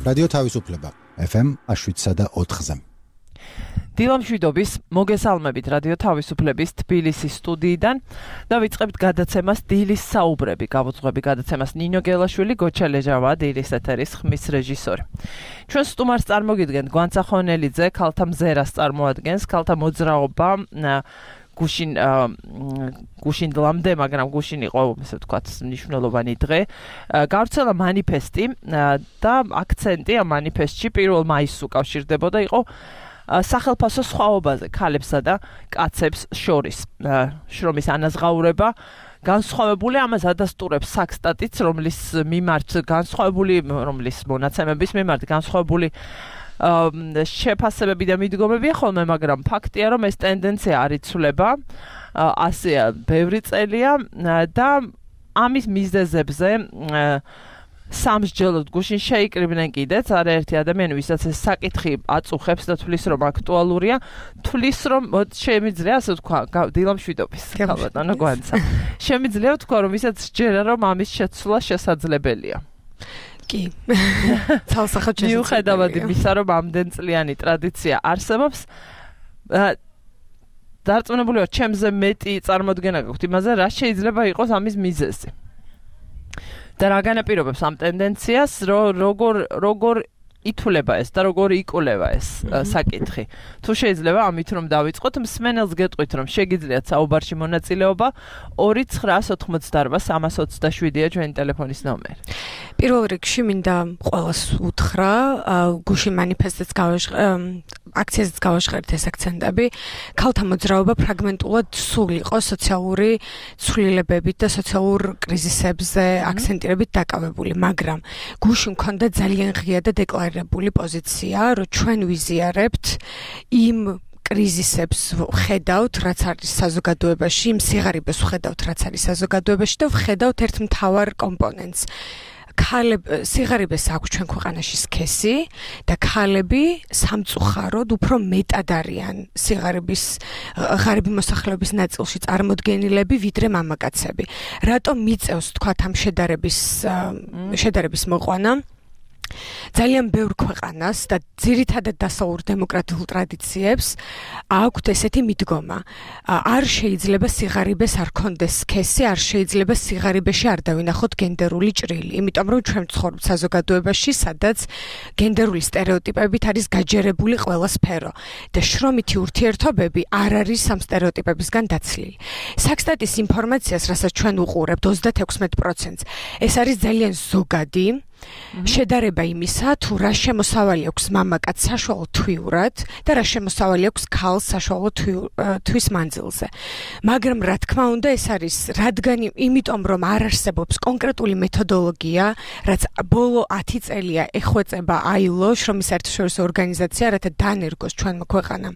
რადიო თავისუფლება FM 7.4-ზე. დილამშვიდობის მოგესალმებით რადიო თავისუფლების თბილისის სტუდიიდან და ვიწყებთ გადაცემას დილის საუბრები. გავუძღვები გადაცემას ნინო გელაშვილი, გოჩა ლეჟავა, დილის ეთერის ხმის რეჟისორი. ჩვენ სტუმარს წარმოგიდგენთ გვანცა ხონელიძე, ქალთა მზერას წარმოადგენს, ქალთა მოძრაობა გუშინ დლამდე, მაგრამ გუშინ იყო, ესე ვთქვათ, მნიშვნელოვანი დღე. გავრცელა მანიფესტი და აქცენტი ამ მანიფესტში 1 მაისს უკავშირდებოდა იყო სახელმწიფო სხვაობაზე ქალებსა და კაცებს შორის. შრომის ანაზღაურება განსხვავებული ამას ადასტურებს საქსტატიც, რომლის მონაცემების მიმართ განსხვავებული შეფასებები და მიდგომებია ხოლმე, მაგრამ ფაქტია, რომ ეს ტენდენცია არ იცვლება, ასეა ბევრი წელია და ამის მიზეზებზე სამსჯელოდ გუშინ შეიკრიბნენ კიდეც არაერთი ადამიანი, ვისაც ეს საკითხი აწუხებს და თვლის, რომ აქტუალურია, თვლის, რომ შემიძლია, ასე ვთქვა, დილამშვიდობის ქალბატონო გვანცა. შემიძლია ვთქვა, რომ ვისაც სჯერა, რომ ამის შეცვლა შესაძლებელია. კი. ცალსახად მიუხედავად იმისა, რომ ამდენწლიანი ტრადიცია არსებობს, დარწმუნებული ვარ, ჩემზე მეტი წარმოდგენა გაქვთ იმაზე, რა შეიძლება იყოს ამის მიზეზი. და რა განაპირობებს ამ ტენდენციას, როგორ ითვლება ეს და როგორ იკვლევა ეს საკითხი. თუ შეიძლება ამით რომ დავიწყოთ, მსმენელს გეტყვით, რომ შეგიძლიათ საუბარში მონაწილეობა 2988327-ია ჩვენი ტელეფონის ნომერი. პირველ რიგში მინდა ყველას უთხრა, გუშინ მანიფესტს აქციაზეც გავაშხერეთ ეს აქცენტები. ქალთა მოძრაობა ფრაგმენტულად სულ იყო სოციალური ცვლილებებით და სოციალურ კრიზისებზე აქცენტირებით დაკავებული, მაგრამ გუშინ მქონდა ძალიან ღია და დეკლარირებული პოზიცია, რომ ჩვენ ვიზიარებთ იმ კრიზისებს ვხედავთ, რაც არის საზოგადოებაში, იმ სიღარიბეს ვხედავთ, რაც არის საზოგადოებაში და ვხედავთ ერთ მთავარ კომპონენტს. სიღარიბეს აქვს ჩვენ ქვეყანაში სქესი და ქალები სამწუხაროდ უფრო მეტად არიან ღარიბი მოსახლეობის ნაწილში წარმოდგენილები, ვიდრე მამაკაცები. რატომ მიწევს თქვათ ამ შედარების მოყვანა? ძალიან ბევრ ქვეყანას და ძირითადად დასავლურ დემოკრატიულ ტრადიციებს აქვთ ესეთი მიდგომა. არ შეიძლება სიღარიბეს არ ქონდეს სქესი, არ შეიძლება სიღარიბეში არ დავინახოთ გენდერული ჭრილი. იმიტომ რომ ჩვენ ვცხოვრობთ საზოგადოებაში, სადაც გენდერული სტერეოტიპებით არის გაჯერებული ყველა სფერო და შრომითი ურთიერთობები არ არის ამ სტერეოტიპებისგან დაცლილი. საქსტატის ინფორმაციას, რასაც ჩვენ უყურებთ 36%, ეს არის ძალიან ზოგადი შედარება იმისა, თუ რა შემოსავალი აქვს მამაკაც საშუალო თვიურად და რა შემოსავალი აქვს ქალს საშუალო თვის მანძილზე. მაგრამ რა თქმა უნდა, ეს არის იმიტომ რომ არ არსებობს კონკრეტული მეთოდოლოგია, რაც ბოლო 10 წელია ეხვეწება ILO, შრომის საერთაშორისო ორგანიზაცია, რათა დანერგოს ჩვენმა ქვეყანამ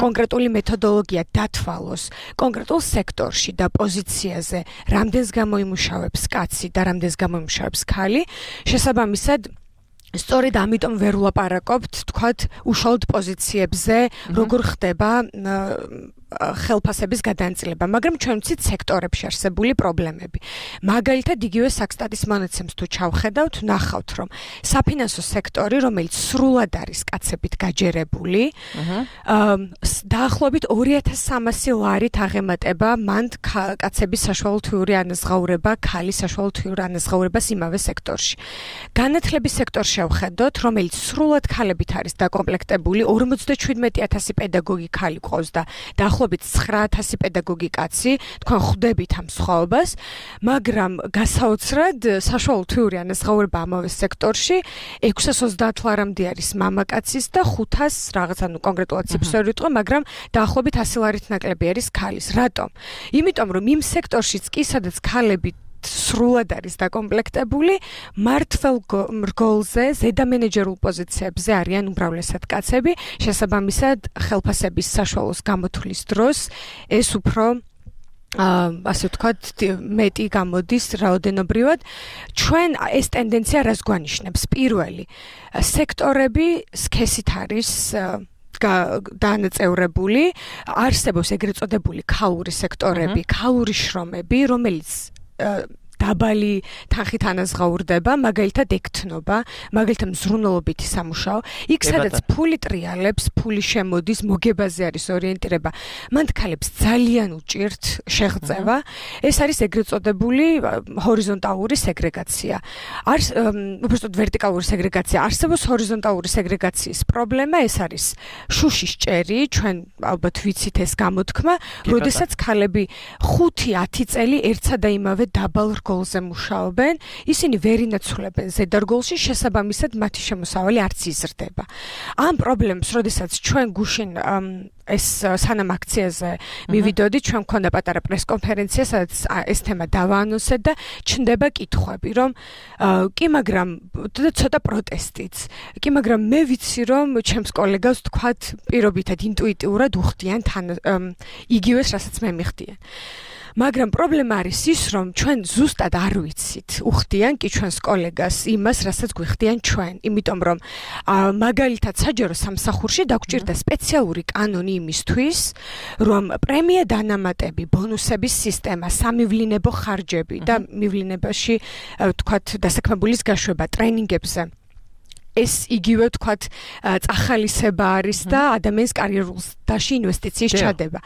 კონკრეტული მეთოდოლოგია დათვალოს კონკრეტულ სექტორში და პოზიციაზე, რამდენს გამოიმუშავებს კაცი და რამდენს გამოიმუშავებს ქალი. შესაბამისად, სწორედ ამიტომ ვერ ვლაპარაკობთ, თქვათ, უშუალოდ პოზიციებზე, როგორ ხდება ხელფასების გადანაწილება, მაგრამ ჩვენ ვცით სექტორებში არსებული პრობლემები. მაგალითად, იგივე საქსტატის მონაცემს თუ ჩავხედავთ, ნახავთ, რომ საფინანსო სექტორი, რომელიც სრულად არის კაცებით გაჯერებული, დაახლოებით 2300 ლარით აღემატება მან კაცების საშუალო თვიური ანაზღაურება, ქალის საშუალო თვიური ანაზღაურებას იმავე სექტორში. განათლების სექტორში შევხედოთ, რომელიც სრულად ქალებით არის დაკომპლექტებული, 57000 პედაგოგი ქალი ყავს და დაახლოებით 9000 პედაგოგი კაცი, თქვენ ხვდებით ამ სხვაობას, მაგრამ გასაოცრად საშუალო თვიური ანაზღაურება ამავე სექტორში 630 ლარამდე არის მამაკაცის და 500 რაღაც, ანუ კონკრეტულად ციფრს ვიტყვი, მაგრამ დაახლოებით 100 ლარით ნაკლები არის ქალის. რატომ? იმიტომ რომ იმ სექტორშიც კი, სადაც ქალები სრულად არის დაკომპლექტებული, მართლ რგოლზე, ზედამენეჯერულ პოზიციებზე არიან უმრავლესად კაცები, შესაბამისად ხელფასების საშუალოს გამოთვლის დროს ეს უფრო ასე ვთქვათ, მეტი გამოდის რაოდენობრივად. ჩვენ ეს ტენდენცია რას გვანიშნებს? პირველი, სექტორები სქესით არის დანაწევრებული, არსებობს ეგრეთ წოდებული ქალური სექტორები, ქალური შრომები, რომელიც დაბალი თანხით ანაზღაურდება, მაგალითად ეკთნობა, მაგალითად მზრუნველობითი სამუშაო, იქ სადაც ფული ტრიალებს, ფული შემოდის, მოგებაზე არის ორიენტირება, მან ქალებს ძალიან უჭირთ შეღწევა, ეს არის ეგრეთ წოდებული ჰორიზონტალური სეგრეგაცია. უბრალოდ ვერტიკალური სეგრეგაცია არსებობს, ჰორიზონტალური სეგრეგაციის პრობლემა ეს არის შუშის ჭერი, ჩვენ ალბათ ვიცით ეს გამოთქმა, როდესაც ქალები 5-10 წელი ერთსა და იმავე დაბალ რგოლზე მუშაობენ, ისინი ვერ ინაცვლებენ ზედარგოლში, შესაბამისად მათი შემოსავალი არც იზრდება. ამ პრობლემს, როდესაც ჩვენ გუშინ ეს სანამ აქციაზე მივიდოდი, ჩვენ მქონდა პატარა პრესკონფერენცია, სადაც ეს თემა დავაანონსეთ და ჩნდება კითხვები, რომ კი, მაგრამ ცოტა პროტესტიც. კი, მაგრამ მე ვიცი, რომ ჩემს კოლეგას თქვათ პირობითად ინტუიტიურად უხდიან იგივეს, რასაც მე მიხდიან. მაგრამ პრობლემა არის ის, რომ ჩვენ ზუსტად არ ვიცით, უხდიან კი ჩვენს კოლეგას იმას, რასაც გვიხდიან ჩვენ, იმიტომ რომ მაგალითად საჯარო სამსახურში დაგვჭირდა სპეციალური კანონი იმისთვის, რომ პრემია დანამატები, ბონუსების სისტემა, სამივლინებო ხარჯები და მივლინებაში თქვათ დასაქმებულის გაშვება ტრენინგებზე ეს იგივე თქვათ წახალისება არის და ადამიანის კარიერულში ინვესტიციის ჩადება.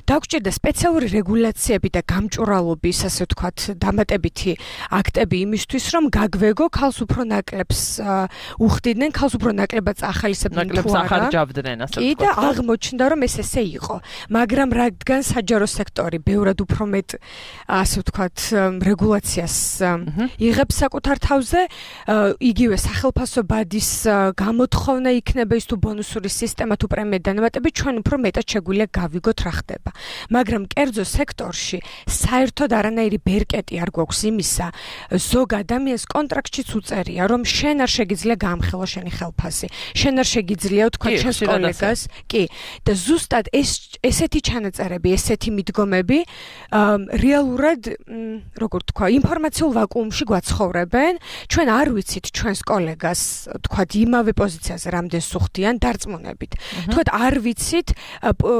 დაგვჭირდა სპეციალური რეგულაციები და გამჭვირვალობის, ასე ვთქვათ, დამატებითი აქტები იმისთვის, რომ გაგვეგო ქალს უფრო ნაკლებს უხდიდნენ, ქალს უფრო ნაკლებად წახალისებდნენ თუ არა. ახარჯავდნენ, ასე ვთქვათ. კი და აღმოჩნდა, რომ ეს ესე იყო. მაგრამ რადგან საჯარო სექტორი ბევრად უფრო მეტ, ასე ვთქვათ, რეგულაციას იღებს საკუთარ თავზე, იგივე სახელფასო გამოთხოვნა იქნება ის თუ ბონუსური სისტემა თუ პრემია დანამატები, ჩვენ უფრო მეტად შეგვიძლია გავიგოთ რა ხდება. მაგრამ კერძო სექტორში საერთოდ არანაირი ბერკეტი არ გვაქვს იმისა, ზოგ ადამიანს კონტრაქტშიც უწერია, რომ შენ არ შეგიძლია გაამხელო შენი ხელფასი. შენ არ შეგიძლია თქვა ჩვენს კოლეგას, კი, და ზუსტად ესეთი ჩანაწერები, ესეთი მიდგომები რეალურად, როგორ თქვა, ინფორმაციულ ვაკუუმში გვაცხოვრებენ. ჩვენ არ ვიცით ჩვენს კოლეგას თქვათ იმავე პოზიციაზე რამდენს უხდიან დარწმუნებით. თქვათ არ ვიცით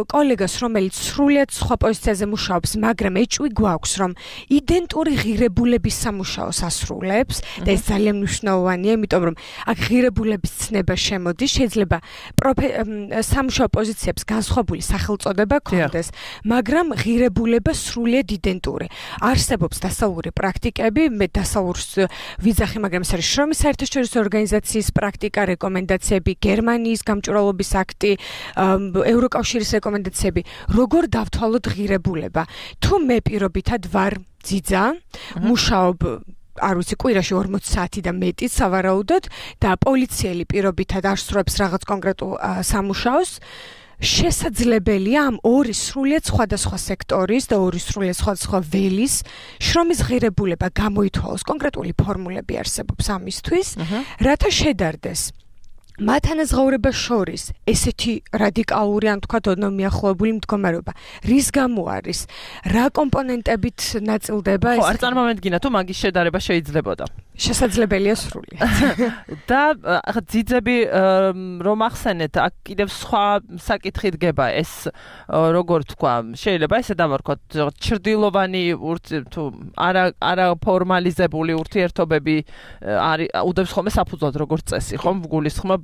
კოლეგას, რომელიც სრულიად სხვა პოზიციაზე მუშაობს, მაგრამ ეჭვი გვაქვს, რომ იდენტური ღირებულების სამუშაოს ასრულებს და ეს ძალიან მნიშვნელოვანია, იმიტომ რომ აქ ღირებულების ცნება შემოდის, შეიძლება სამუშაო პოზიციებს განსხვავებული სახელწოდება ქონდეს, მაგრამ ღირებულება სრულიად იდენტური. არსებობს დასავლური პრაქტიკები, მე დასავლურს ვიძახი, მაგრამ ეს არის შრომის საერთაშორისო ორგანიზაციის პრაქტიკა, რეკომენდაციები, გერმანიის გამჭვირვალობის აქტი, ევროკავშირის რეკომენდაციები, როგორ დავთვალოთ ღირებულება. თუ მე პირობითად ვარ ძიძა, მუშაობ არ ვიცი, კვირაში 40 საათი და მეტი სავარაუდოდ და პოლიციელი პირობითად არ სრულებს რაღაც კონკრეტულ სამუშაოს, შესაძლებელია ამ ორი სრულიად სხვადასხვა სექტორის და ორი სრულიად სხვადასხვა ველის შრომის ღირებულება გამოითვალოს. კონკრეტული ფორმულები არსებობს ამისთვის, რათა შედარდეს მათ ანაზღაურებას შორის ესეთი რადიკალური, ან თქვათ ოდნავ მიახლოებული მდგომარეობა. რის გამო არის? რა კომპონენტებით ნაწილდება ეს? ხო, არ წარმოვედგინა თუ მაგის შედარება შეიძლებოდა. შესაძლებელია სრულიად. და ახლა ძიძები რომ ახსენეთ, აქ კიდევ სხვა საკითხი დგება, ეს როგორ თქვა, შეიძლება ესე დავარქვათ, ჩრდილოვანი თუ არა ფორმალიზებული ურთიერთობები არის უდევს ხოლმე საფუძვლად როგორც წესი, ხომ გულისხმობ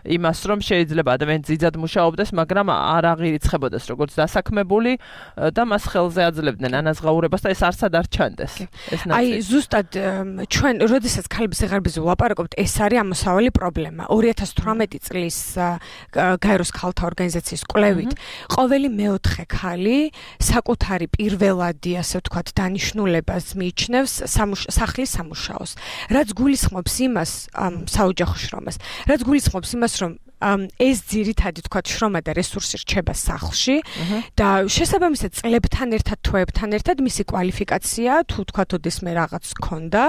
იმას, რომ შეიძლება ადამიანი ძიძად მუშაობდეს, მაგრამ არ აღირიცხებოდეს როგორც დასაქმებული და მას ხელზე აძლევდნენ ანაზღაურებას და ეს არსად არ ჩანდეს. აი, ზუსტად ჩვენ როდესაც ქალების სიღარიბეზე ვლაპარაკობთ, ეს არის ამოსავალი პრობლემა. 2018 წლის გაეროს ქალთა ორგანიზაციის კვლევით, ყოველი მეოთხე ქალი საკუთარი პირველადი, ასე ვთქვათ, დანიშნულებას მიიჩნევს სახლის სამუშაოს. რაც გულისხმობს იმას, საოჯახო შრომას, რაც გულისხმობს იმას, რომ ეს ძირითადი თქვათ შრომა და რესურსი რჩება სახლში და შესაბამისად წლებთან ერთად თვეებთან ერთად მისი კვალიფიკაცია თუ თქვათ ოდესმე რაღაც ქონდა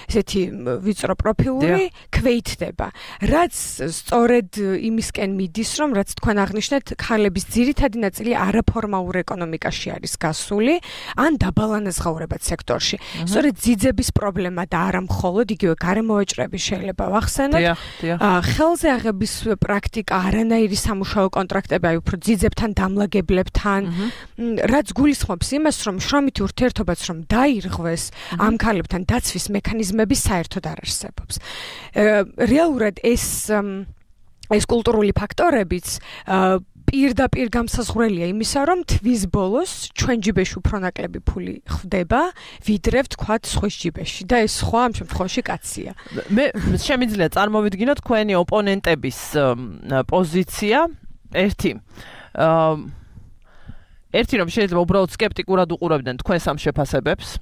ესეთი ვიწრო პროფილური ქვეითდება რაც სწორედ იმისკენ მიდის რომ რაც თქვენ აღნიშნეთ ქალების ძირითადი ნაწილი არაფორმალურ ეკონომიკაში არის გასული ან დაბალანაზღაურებად სექტორში სწორედ ძიძების პრობლემა და არა მხოლოდ იგივე გარემოვაჭრები შეიძლება ვახსენოთ ხელზე აღების პრაქტიკა, არანაირი სამუშაო კონტრაქტები, აი უფრო ძიძებთან, დამლაგებლებთან, რაც გულისხმობს იმას, რომ შრომითი ურთიერთობაც რომ დაირღვეს ამ ქალებთან დაცვის მექანიზმები საერთოდ არ არსებობს. რეალურად ეს კულტურული ფაქტორებიც პირდაპირ გამსაზღვრელია იმისა, რომ თვის ბოლოს ჩვენ ჯიბეში უფრო ნაკლები ფული ხვდება, ვიდრე ვთქვათ სხვის ჯიბეში და ეს სხვა ამ შემთხვევაში კაცია. მე შემიძლია წარმოვიდგინო თქვენი ოპონენტების პოზიცია ერთი რომ შეიძლება უბრალოდ სკეპტიკურად უყურებდნენ თქვენს ამ შეფასებებს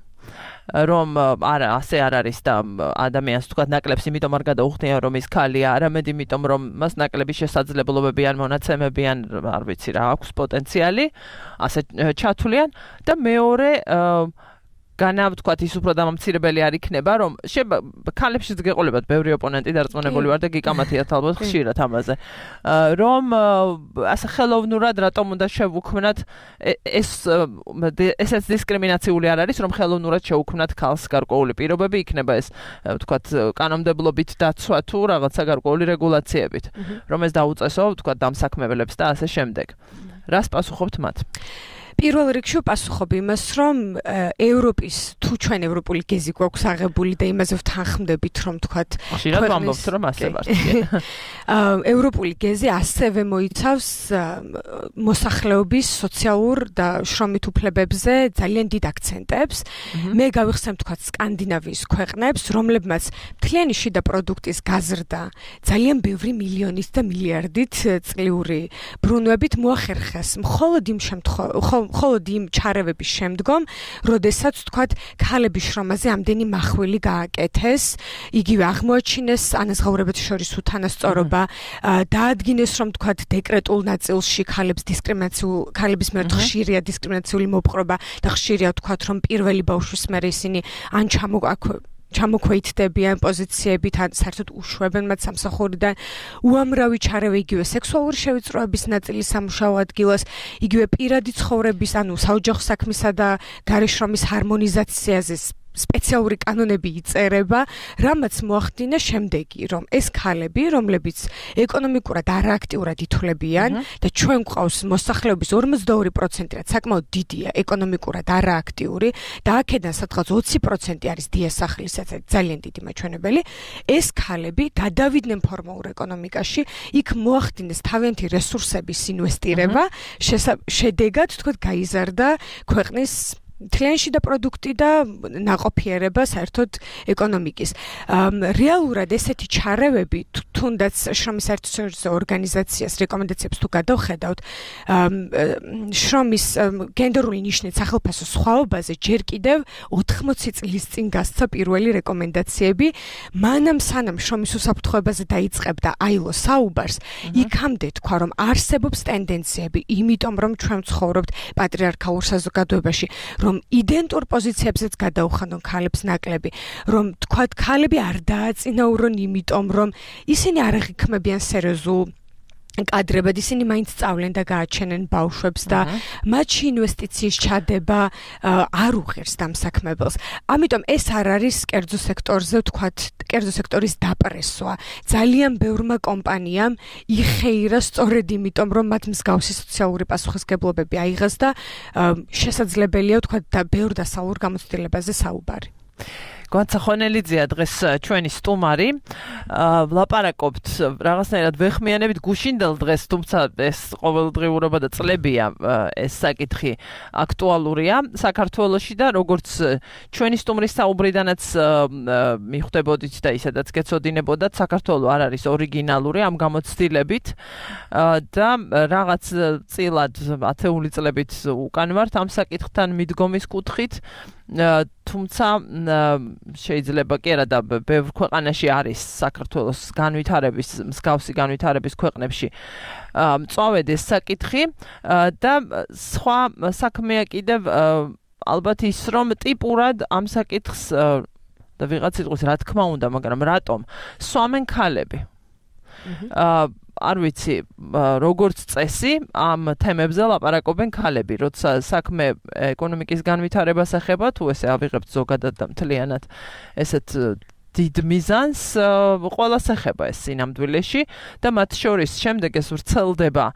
რომ არა ასე არ არის და ადამიანს თქვა ნაკლებს იმიტომ არ გადაუხდიან რომ ის ქალია, არამედ იმიტომ რომ მას ნაკლები შესაძლებლობები ან მონაცემები ან არ ვიცი რა აქვს პოტენციალი, ასე ჩათვლიან და მეორე განავთქვათ ის უფრო დამამცირებელი არ იქნება, რომ ქალებშიც გეყოლებათ ბევრი ოპონენტი დარწმუნებული ვარ და გიკამათიათ ალბათ ხშირად ამაზე. რომ ასე ხელოვნურად რატომ უნდა შევუქმნათ ესეც დისკრიმინაციული არ არის, რომ ხელოვნურად შევუქმნათ ქალს გარკვეული პირობები, იქნება ეს ვთქვათ კანონმდებლობით დაცვა თუ რაღაცა გარკვეული რეგულაციებით, რომ ეს დაუწესო ვთქვათ დამსაქმებლებს და ასე შემდეგ. რას პასუხობთ მათ? პირველ რიგში პასუხობ იმას, რომ ევროპის თუ ჩვენ ევროპული გეზი გვაქვს აღებული და იმაზე ვთანხმდებით, რომ თქვათ ხშირად ვამბობთ, რომ ასე ვარ. ევროპული გეზი ასევე მოიცავს მოსახლეობის სოციალურ და შრომით უფლებებზე ძალიან დიდ აქცენტებს. მე გავიხსენებ თქვათ სკანდინავიის ქვეყნებს, რომლებმაც მთლიანი შიდა პროდუქტის გაზრდა ძალიან ბევრი მილიონით და მილიარდით წლიური ბრუნვებით მოახერხეს მხოლოდ იმ ჩარევების შემდგომ, როდესაც თქვათ ქალების შრომაზე ამდენი მახვილი გააკეთეს, იგივე აღმოაჩინეს ანაზღაურებათა შორის უთანასწორობა, დაადგინეს რომ თქვათ დეკრეტულ ნაწილში ქალების მიერ ხშირია დისკრიმინაციული მოპყრობა და ხშირია თქვათ რომ პირველი ბავშვის მერე ისინი ან ჩამოქვეითდებიან პოზიციებით, ან საერთოდ უშვებენ მათ სამსახურიდან, უამრავი ჩარევა იგივე სექსუალური შევიწროების ნაწილი სამუშაო ადგილას, იგივე პირადი ცხოვრების, ანუ საოჯახო საქმისა და გარეშრომის ჰარმონიზაციაზე სპეციალური კანონები იწერება, რამაც მოახდინა შემდეგი, რომ ეს ქალები, რომლებიც ეკონომიკურად არააქტიურად ითვლებიან და ჩვენ გვყავს მოსახლეობის 52%, რაც საკმაოდ დიდია, ეკონომიკურად არააქტიური და აქედან სადღაც 20% არის დიასახლისაც, ძალიან დიდი მაჩვენებელი, ეს ქალები გადავიდნენ ფორმალურ ეკონომიკაში, იქ მოახდინეს თავიანთი რესურსების ინვესტირება, შედეგად თქვათ გაიზარდა ქვეყნის მთლიანში და პროდუქტი და ნაყოფიერება საერთოდ ეკონომიკის. რეალურად ესეთი ჩარევები, თუნდაც შრომის საერთაშორისო ორგანიზაციას რეკომენდაციებს თუ გადავხედავთ, შრომის გენდერული ნიშნით სახელმწიფო სხვაობაზე ჯერ კიდევ 80 წლის წინ გასცა პირველი რეკომენდაციები, მანამ სანამ შრომის უსაფრთხოებაზე დაიწყებდა ILO საუბარს, იქამდე თქვა რომ არსებობს ტენდენციები, იმიტომ რომ ჩვენ ვცხოვრობთ პატრიარქალურ საზოგადოებაში, რომ იდენტურ პოზიციებზეც გადაუხადონ ქალებს ნაკლები, რომ თქვათ ქალები არ დააწინაურონ, იმიტომ რომ ისინი არ აღიქმებიან სერიოზულ კადრებად, ისინი მაინც სწავლენ და გააჩენენ ბავშვებს და მათში ინვესტიციის ჩადება არ უღერს დამსაქმებელს. ამიტომ ეს არ არის კერძო სექტორზე, თქვათ, კერძო სექტორის დაპრესვა. ძალიან ბევრმა კომპანიამ იხეირა სწორედ იმიტომ, რომ მათ მსგავსი სოციალური პასუხისმგებლობები აიღეს და შესაძლებელია, თქვათ, და ბევრ დასავლურ გამოცდილებაზე საუბარი. გვაცა ხონელიძეა დღეს ჩვენი სტუმარი. ვლაპარაკობთ რაღაცნაირად ვეხმიანებით გუშინდელ დღეს, თუმცა ეს ყოველდღიურობა და წლებია ეს საკითხი აქტუალურია საქართველოში და როგორც ჩვენი სტუმრის საუბრიდანაც მიხვდებოდით და ისედაც გეცოდინებოდათ, საქართველო არ არის ორიგინალური ამ გამოცდილებით და რაღაც წილად 10 წლებით უკან ვართ ამ საკითხთან მიდგომის კუთხით. თუმცა შეიძლება კი არა და ბევრ ქვეყანაში არის საქართველოს განვითარების, მსგავსი განვითარების ქვეყნებში მწვავედ ეს საკითხი და სხვა საქმეა კიდევ ალბათ ის, რომ ტიპურად ამ საკითხს და ვიღაც იტყვის რა თქმა უნდა, მაგრამ რატომ სვამენ ქალები? არ ვიცი, როგორც წესი, ამ თემებზე ლაპარაკობენ ქალები, როცა საქმე ეკონომიკის განვითარებას ეხება, თუ ესე ავიღებთ ზოგადად და მთლიანად ესეთ დიდ მიზანს ყველას ეხება ეს სინამდვილეში და მათ შორის შემდეგ ეს ვრცელდება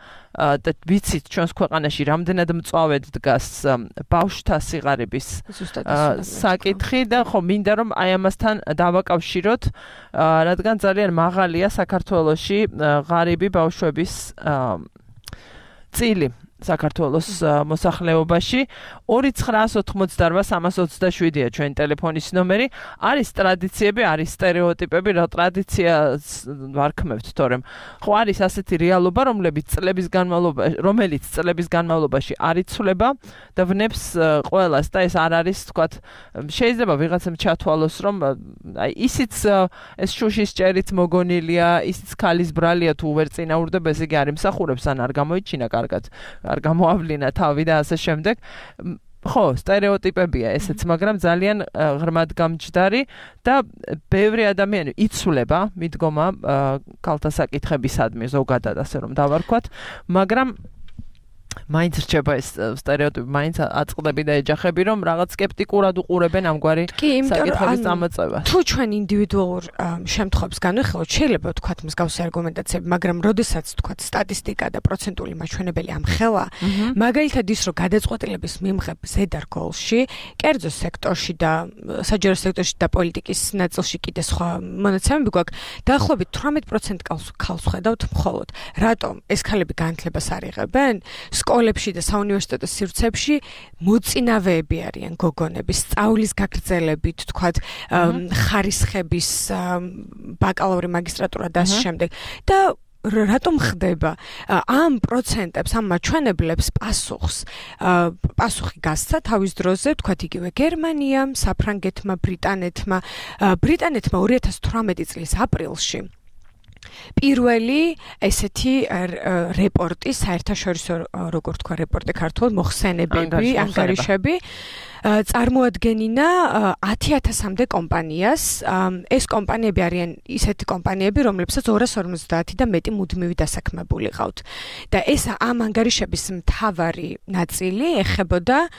და ვიცით ჩვენს ქვეყანაში რამდენად მწვავედ დგას ბავშვთა სიღარიბის საკითხი და ხო მინდა რომ აი ამასთან დავაკავშიროთ რადგან ძალიან მაღალია საქართველოში ღარიბი ბავშვების წილი საქართველოს მოსახლეობაში 2988327-ია ჩვენი ტელეფონის ნომერი. არის ტრადიციები, არის სტერეოტიპები, რა ტრადიციას ვარქმევთ, თორემ ხო არის ასეთი რეალობა, რომელიც წლების განმავლობაში არ იცვლება და ვნებს ყველას და ეს არ არის, თქვათ, შეიძლება ვიღაცამ ჩათვალოს, რომ აი ისიც ეს შუშის ჭერით მოგონილია, ისიც ქალის ბრალია თუ ვერ წინაურდება, ესე იგი არ იმსახურებს ან არ გამოიჩინა კარგად. არ გამოავლინა თავი და ასე შემდეგ. ხო, სტერეოტიპებია ესეც, მაგრამ ძალიან ღრმად გამჯდარი და ბევრი ადამიანი იცვლება, მიდგომა ქალთა საკითხებისადმი ზოგადად ასე რომ დავარქვათ, მაგრამ მაინც რჩება ეს სტერეოტიპი, მაინც აწყდები და ეჯახები, რომ რაღაც სკეპტიკურად უყურებენ ამგვარი საკითხების წამოწევას. თუ ჩვენ ინდივიდუალურ შემთხვევებს განვიხილოთ, შეიძლება ვთქვათ მსგავსი არგუმენტაციები, მაგრამ როდესაც ვთქვათ სტატისტიკა და პროცენტული მაჩვენებელი ამხელა, მაგალითად ის, რომ გადაწყვეტილების მიმღებ ზედარგოლში, კერძო სექტორში და საჯარო სექტორში და პოლიტიკის ნაწილში კიდე სხვა მონაცემები გვაქვს, დაახლოებით 18% ქალს ხედავთ მხოლოდ. რატომ ეს ქალები განათლებას არ იღებენ? სკოლებში და საუნივერსიტეტო სივრცეებში მოწინავეები არიან გოგონების, სწავლის გაგრძელებით, თქვათ, ხარისხების, ბაკალავრი, მაგისტრატურა და ასე შემდეგ. და რატომ ხდება? ამ პროცენტებს, ამ მაჩვენებლებს პასუხი გასცა თავის დროზე, თქვათ იგივე გერმანიამ, საფრანგეთმა, ბრიტანეთმა 2018 წლის აპრილში პირველი ესეთი რეპორტი, საერთაშორისო როგორ თქვა რეპორტი ქართულად, მოხსენებები, ანგარიშები წარმოადგენინა 10,000-მდე კომპანიას. ეს კომპანიები არიან ისეთი კომპანიები, რომლებსაც 250 და მეტი მუდმივი დასაქმებული ყავთ. და ეს ამ ანგარიშების მთავარი ნაწილი ეხებოდა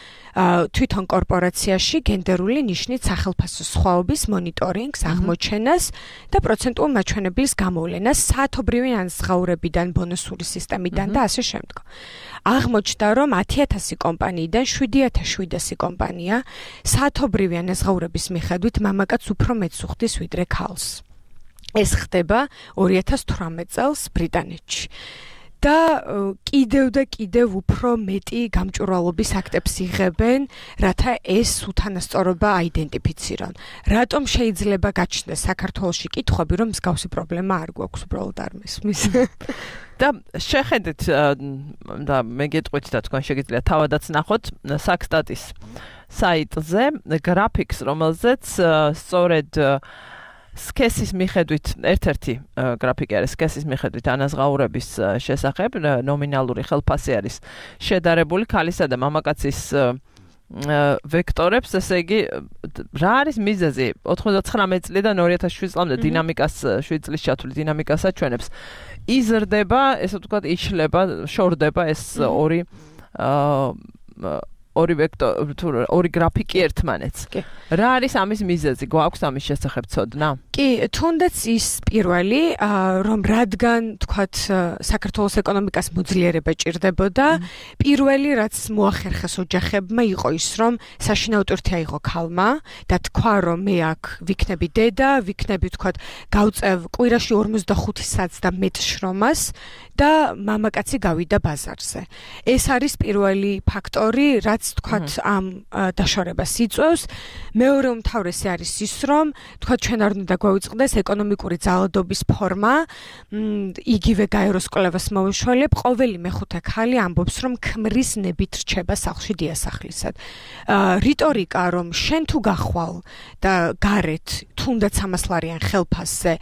თვითონ კორპორაციაში გენდერული ნიშნით სახელფასო სხვაობის მონიტორინგს, აღმოჩენას და პროცენტულ მაჩვენებლის გამოვლენას საათობრივი ანაზღაურებიდან, ბონუსური სისტემიდან და ასე შემდეგ. აღმოჩნდა, რომ 10,000 კომპანიიდან 7,700 კომპანია საათობრივი ანაზღაურების მიხედვით მამაკაცს უფრო მეტს უხდის ვიდრე ქალს. ეს ხდება 2018 წელს ბრიტანეთში. და კიდევ და კიდევ უფრო მეტი გამჭვირვალობის აქტებს იღებენ, რათა ეს უთანასწორობა აიდენტიფიცირონ. რატომ შეიძლება გაჩნდეს საქართველოში კითხვები, რომ მსგავსი პრობლემა არ გვაქვს, უბრალოდ არ მესმის. და შეხედეთ და მე გეტყვით და თქვენ შეგიძლიათ თავადაც ნახოთ საქსტატის საიტზე გრაფიკს, რომელზეც სწორედ სქესის მიხედვით ერთ-ერთი გრაფიკი არის სქესის მიხედვით ანაზღაურების შესახებ, ნომინალური ხელფასი არის შედარებული ქალისა და მამაკაცის ვექტორებს, ესე იგი რა არის მიზეზი 99 წლიდან 2007 წლამდე დინამიკას 7 წლის ჩათვლით დინამიკას აჩვენებს. იზრდება, ესე ვთქვათ, იშლება, შორდება ეს ორი ვექტორი, ორი გრაფიკი ერთმანეთს. რა არის ამის მიზეზი? გვაქვს ამის შესახებ ცოდნა? კი, თუნდაც ის პირველი, რომ რადგან, თქვათ, საქართველოს ეკონომიკას მოძლიერება ჭირდებოდა, პირველი, რაც მოახერხეს ოჯახებმა, იყო ის, რომ საშინაო ტვირთი აიღო ქალმა და თქვა, რომ მე აქ ვიქნები დედა, ვიქნები, თქვათ, გავწევ კვირაში 45 საათს და მეტ შრომას და მამაკაცი გავიდა ბაზარზე. ეს არის პირველი ფაქტორი, რაც თქვათ ამ დაშორებას იწვევს. მეორე უმთავრესი არის ის, რომ თქვათ ჩვენ არ უნდა გვაუწყდეს ეკონომიკური ძალადობის ფორმა, იგივე გაეროს კვლევას მოვიშველებ, ყოველი მეხუთე ქალი ამბობს, რომ ქმრის ნებით რჩება სახლში დიასახლისად. რიტორიკა, რომ შენ თუ გახვალ და გარეთ თუნდაც 100 ლარიან ხელფასზე,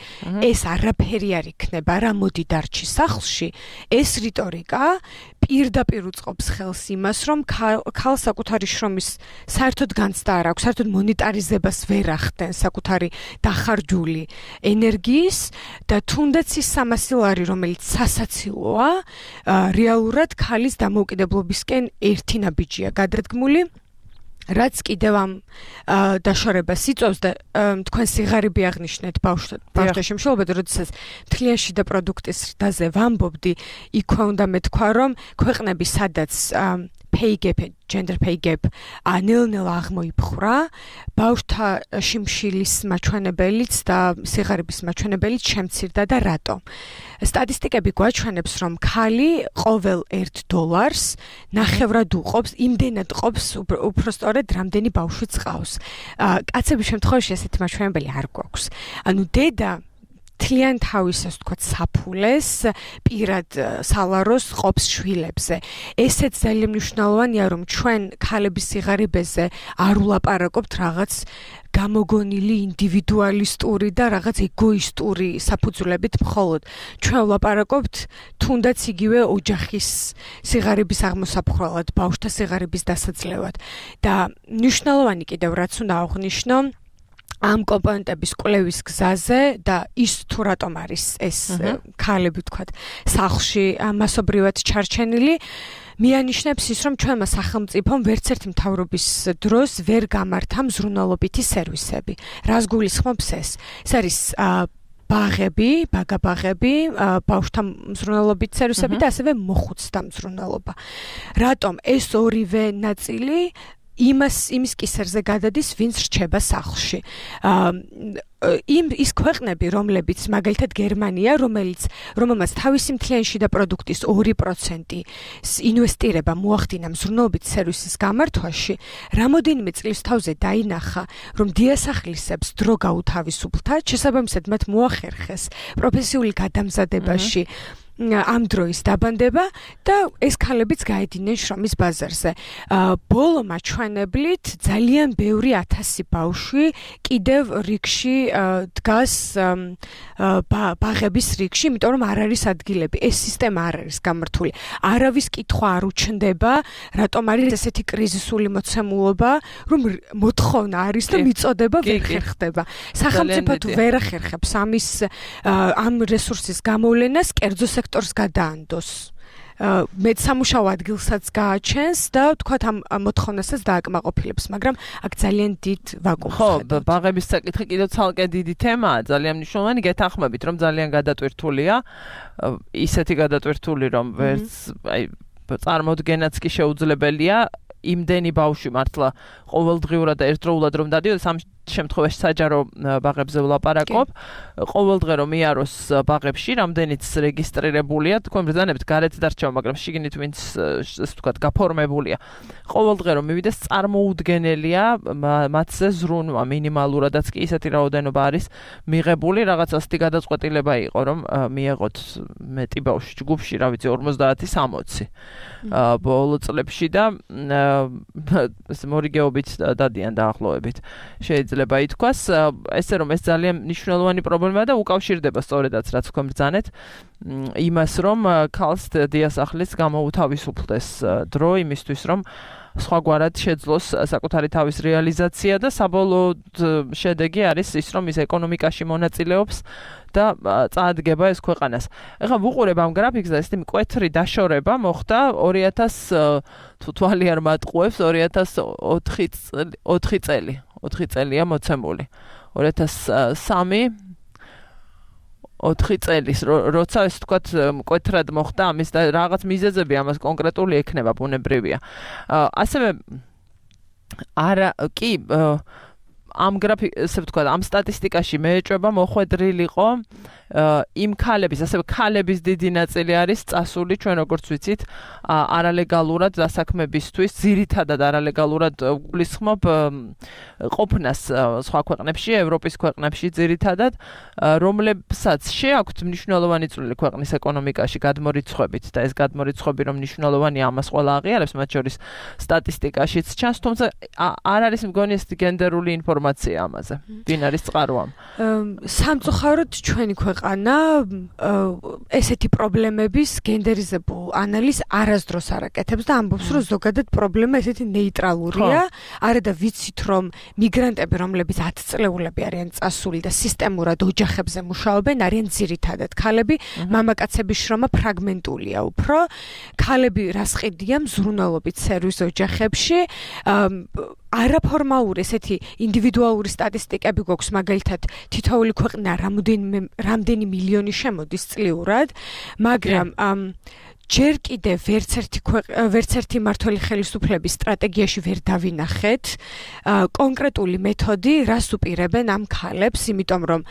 ეს არაფერი არ იქნება, რა მოდი დარჩი სახლში, ეს რიტორიკა პირდაპირ უწყობს ხელს იმას, რომ ქალ საკუთარი შრომის საერთოდ განცდა არ აქვს, საერთოდ მონეტარიზებას ვერ ახდენს საკუთარი დახარჯული ენერგიის და თუნდაც ის 300 ლარი, რომელიც სასაცილოა, რეალურად ქალის დამოუკიდებლობისკენ ერთი ნაბიჯია გადადგმული. რაც კიდევ ამ დაშორებას იწვევს და თქვენ სიღარიბე აღნიშნეთ ბავშვთა შემშეობად, როდესაც მთლიან შიდა პროდუქტის ზრდაზე ვამბობდი, იქვე უნდა მეთქვა, რომ ქვეყნები სადაც pay gap, gender pay gap, ნელ-ნელა აღმოიფხვრა, ბავშვთა შიმშილის მაჩვენებელიც და სიღარიბის მაჩვენებელიც შემცირდა და რატო? სტატისტიკები გვაჩვენებს, რომ ქალი ყოველ $1 ნახევრად უყობს, იმდენად ყოფს, უფრო სწორედ რამდენი ბავშვი წყავს. კაცების შემთხვევაში ესეთი მაჩვენებელი არ გვაქვს. ანუ დედა თლიან თავისას თქვათ საფულეს პირად სალაროს ყოფს შვილებზე. ესეც ძალიან მნიშვნელოვანია, რომ ჩვენ ქალების სიღარიბეზე არ ვლაპარაკობთ რაღაც გამოგონილი ინდივიდუალისტური და რაღაც ეგოისტური საფუძვლებით მხოლოდ. ჩვენ ვლაპარაკობთ თუნდაც იგივე ოჯახის სიღარიბის აღმოსაფხვრელად, ბავშვთა სიღარიბის დასაძლევად. და მნიშვნელოვანი კიდევ რაც უნდა აღვნიშნო, ამ კომპონენტების კვლევის გზაზე და ის თუ რატომ არის ეს ქალები თქვათ სახლში მასობრივად ჩარჩენილი, მიანიშნებს ის, რომ ჩვენმა სახელმწიფომ ვერცერთი მთავრობის დროს ვერ გამართა მზრუნველობითი სერვისები. რას გულისხმობს ეს? ეს არის ბაღები, ბავშვთა მზრუნველობითი სერვისები და ასევე მოხუცთა მზრუნველობა. რატომ ეს ორივე ნაწილი იმის კისერზე გადადის, ვინც რჩება სახლში. ის ქვეყნები, რომლებიც მაგალითად გერმანია, რომელმაც თავისი მთლიანი შიდა პროდუქტის 2% ინვესტირება მოახდინა მზრუნველობითი სერვისის გამართვაში, რამოდენიმე წლის თავზე დაინახა, რომ დიასახლისებს დრო გაუთავისუფლდა, შესაბამისად მათ მოახერხეს პროფესიული გადამზადებაში ამ დროის დაბანდება და ეს ქალებიც გაედინნენ შრომის ბაზარზე. ბოლო მაჩვენებლით ძალიან ბევრი 1000 ბავშვი კიდევ რიგში დგას ბაღების რიგში, იმიტომ რომ არ არის ადგილები. ეს სისტემა არ არის გამართული. არავის კითხვა არ უჩნდება, რატომ არის ესეთი კრიზისული მოცემულობა, რომ მოთხოვნა არის და მიწოდება ვერ ხერხდება. სახელმწიფო თუ ვერ ახერხებს ამ რესურსის გამოვლენას, კერძო სექტორს გადაანდოს. მე სამუშაო ადგილსაც გააჩენს და თქვათ ამ მოთხოვნასაც დააკმაყოფილებს, მაგრამ აქ ძალიან დიდ ვაკუუმს ხედავთ. ბაღების საკითხი კიდევ ცალკე დიდი თემაა, ძალიან მნიშვნელოვანი. გეთანხმებით, რომ ძალიან გადატვირთულია, ისეთი გადატვირთული, რომ ვერც წარმოდგენაც კი შეუძლებელია. იმდენი ბავშვი მართლა ყოველდღიურად და ერთდროულად რომ დადიოდეს, ამ შემთხვევაში საჯარო ბაღებზე ვლაპარაკობ. ყოველდღე რომ მიაროს ბაღებში, რამდენიც რეგისტრირებულია, თქვენ ბრძანებთ გარეთ დარჩება, მაგრამ შიგნით ვინც ესე ვთქვათ გაფორმებულია. ყოველდღე რომ მივიდეს, წარმოუდგენელია მათზე ზრუნვა მინიმალურადაც კი ისეთი რაოდენობა არის მიღებული, რაღაც ასეთი გადაწყვეტილება იყო, რომ მიეღოთ მეტი ბავშვი ჯგუფში, რა ვიცი 50-60 ბოლო წლებში და ეს მორიგეობით დადიან დაახლოებით. შეიძლება ითქვას, ესე რომ ეს ძალიან მნიშვნელოვანი პრობლემაა და უკავშირდება სწორედაც რაც თქვენ ბრძანეთ იმას, რომ ქალს დიასახლის გამოუთავისუფლდეს დრო იმისთვის, რომ სხვაგვარად შეძლოს საკუთარი თავის რეალიზაცია და საბოლოოდ შედეგი არის ის, რომ ის ეკონომიკაში მონაწილეობს და წაადგება ეს ქვეყანას. ეხლა ვუყურებ ამ გრაფიკს და ესეთი მკვეთრი დაშორება მოხდა 2000 თუ თვალი არ მატყუებს 2004 წელი. 4 წელია მოცემული. 2003 4 წელის, როცა ეს თქვათ მკვეთრად მოხდა ამის და რაღაც მიზეზები ამას კონკრეტული ექნება, ბუნებრივია. ასევე კი ამ გრაფიკს ვთქვათ, ამ სტატისტიკაში მეეჭვება მოხვედრილიყო იმ ქალების, ასევე ქალების დიდი ნაწილი არის წასული, ჩვენ როგორც ვიცით, არალეგალურად დასაქმებისთვის, ძირითადად არალეგალურად გულისხმობ ყოფნას სხვა ქვეყნებში, ევროპის ქვეყნებში ძირითადად, რომლებსაც შეაქვთ მნიშვნელოვანი წვლილი ქვეყნის ეკონომიკაში გადმორიცხვებით და ეს გადმორიცხვები რომ მნიშვნელოვანია, ამას ყველა აღიარებს, მათ შორის სტატისტიკაშიც ჩანს, თუმცა არ არის მგონი ეს გენდერული ინფორმაცია ინფორმაცია ამაზე? ვინ არის წყაროამ? სამწუხაროდ ჩვენი ქვეყანა ესეთი პრობლემების გენდერიზებულ ანალიზს არასდროს არ აკეთებს და ამბობს, რომ ზოგადად პრობლემა ესეთი ნეიტრალურია. არა და ვიცით, რომ მიგრანტები, რომლებიც 10 წლეულები არიან წასული და სისტემურად ოჯახებზე მუშაობენ, არიან ძირითადად ქალები, მამაკაცების შრომა ფრაგმენტულია უფრო. ქალები რას ყიდიან მზრუნველობით სერვის ოჯახებში. არაფორმალური ესეთი ინდივიდუალური სტატისტიკები გვაქვს, მაგალითად თითოეული ქვეყნა რამდენი მილიონი შემოდის წლიურად, მაგრამ ჯერ კიდევ ვერც ერთი მმართველი ხელისუფლების სტრატეგიაში ვერ დავინახეთ კონკრეტული მეთოდი, რას უპირებენ ამ ქალებს, იმიტომ რომ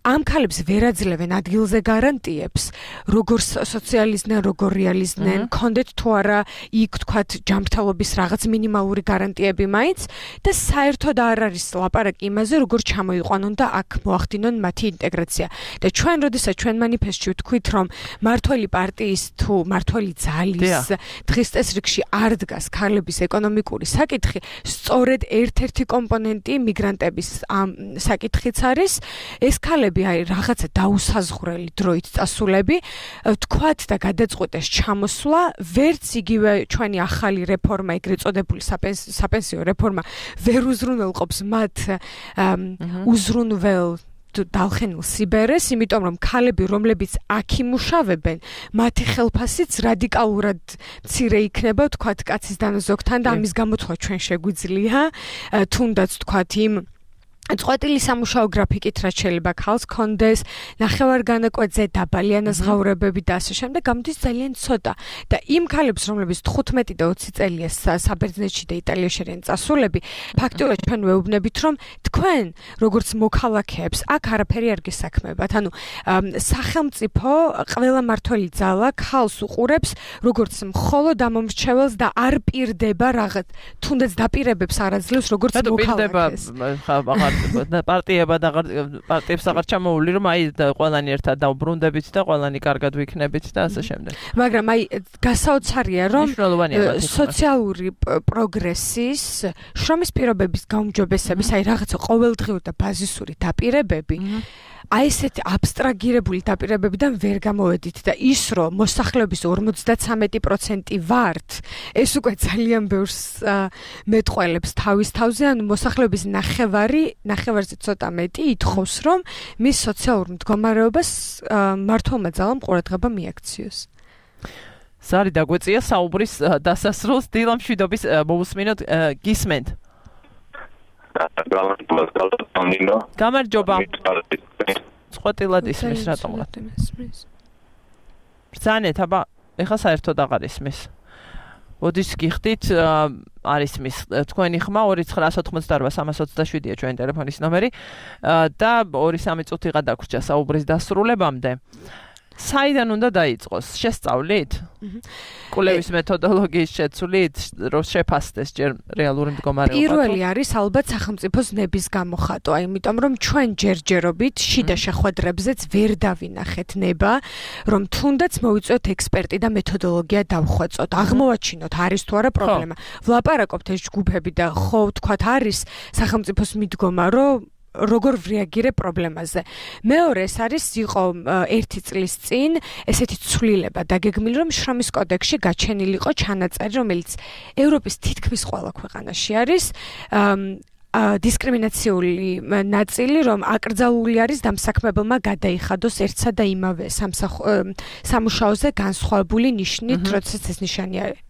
ამ ქალებს ვერ აძლევენ ადგილზე გარანტიებს, როგორ სოციალიზდნენ, როგორ რეალიზდნენ, კონდეთ თუ არა იქ თქვათ ჯანმრთელობის რაღაც მინიმალური გარანტიები მაინც და საერთოდ არ არის ლაპარაკი იმაზე, როგორ ჩამოიყვანონ და აქ მოახდინონ მათი ინტეგრაცია. და ჩვენ როდესაც ჩვენ მანიფესტში ვთქვით, რომ მმართველი პარტიის თუ მმართველი ძალის დღის წესრიგში არ დგას ქალების ეკონომიკური საკითხი, სწორედ ერთ-ერთი კომპონენტი მიგრანტების ამ საკითხიც არის. ეს ქალები არის რაღაცა დაუსაზღვრელი დროით წასულები, თქვათ და გადაწყვეტეს ჩამოსვლა, ვერც იგივე ჩვენი ახალი რეფორმა, ეგრეთ წოდებული საპენსიო რეფორმა ვერ უზრუნველყოფს მათ უზრუნվել დალხენილ სიბერეს, იმიტომ რომ ქალები, რომლებიც აქ იმუშავებენ, მათი ხელფასიც რადიკალურად მცირე იქნება, თქვათ კაცის დანაზოგთან და ამის გამოთვლა ჩვენ შეგვიძლია, თუნდაც თქვათ იმ წყვეტილი სამუშაო გრაფიკით რაც შეიძლება ქალს კონდეს, ნახევარგანაკვეთზე დაბალი ანაზღაურებები და ასე შემდეგ, გამოდის ძალიან ცოტა. და იმ ქალებს, რომლებიც 15 და 20 წელია საბერძნეთში და იტალიაში არიან წასულები, ფაქტობრივად ჩვენ ვეუბნებით, რომ თქვენ, როგორც მოქალაქეებს, აქ არაფერი არ გესაქმებათ. ანუ სახელმწიფო ყველა მმართველი ძალა ქალს უყურებს, როგორც მხოლოდ ამომრჩეველს და არ პირდება რაღაც, თუნდაც დაპირებებს არ აძლევს, როგორც მოქალაქეს. პარტიებს აღარ ჩამოული, რომ აი ყველანი ერთად დავბრუნდებით და ყველანი კარგად ვიქნებით და ასე შემდეგ. მაგრამ აი გასაოცარია, რომ სოციალური პროგრესის, შრომის პირობების გაუმჯობესების, აი რაღაცა ყოველდღიური და ბაზისური დაპირებები აი ესეთი აბსტრაგირებული დაპირებებიდან ვერ გამოვედით და ის რომ მოსახლეობის 53% ვართ, ეს უკვე ძალიან ბევრს მეტყველებს თავის თავზე, ანუ მოსახლეობის ნახევარზე ცოტა მეტი ითხოვს, რომ მის სოციალურ მდგომარეობას მმართველმა ძალამ ყურადღება მიაქციოს. სარი დაგვეწია საუბრის დასასრულს, დილა მშვიდობის მოусმინოთ, გისმენთ. გამარჯობა. წყვეტილად ისმის რატომ? ბრძანეთ, აბა, ეხლა საერთოდ აღარ ისმის. ოდის გიხდით, არის მის თქვენი ხმა 2988327-ია ჩვენი ტელეფონის ნომერი და 2-3 წუთი გადაგვრჩა საუბრის დასრულებამდე. საიდან უნდა დაიწყოს? შესწავლით? კვლევის მეთოდოლოგიის შეცვლით, რომ შეფასდეს ჯერ რეალური მდგომარეობა. პირველი არის ალბათ სახელმწიფოს ნების გამოხატვა, იმიტომ რომ ჩვენ ჯერჯერობით შიდა შეხვედრებზეც ვერ დავინახეთ ნება, რომ თუნდაც მოვიწვიოთ ექსპერტი და მეთოდოლოგია დავხვეწოთ, აღმოვაჩინოთ არის თუ არა პრობლემა. ვლაპარაკობთ ეს ჯგუფები და ხო თქვათ არის სახელმწიფოს მიდგომა, რომ როგორ რეაგირებ პრობლემაზე. მეორე ეს არის იყო 1 წლის წინ ესეთი ცვლილება დაგეგმილი, რომ შრომის კოდექსში გაჩენილიყო ჩანაწერი, რომელიც ევროპის თითქმის ყველა ქვეყანაში არის, დისკრიმინაციული ნაწილი, რომ აკრძალული არის დამსაქმებელმა გადაიხადოს ერთსა და იმავე სამუშაოზე განსხვავებული ნიშნით, როდესაც ეს ნიშანი არის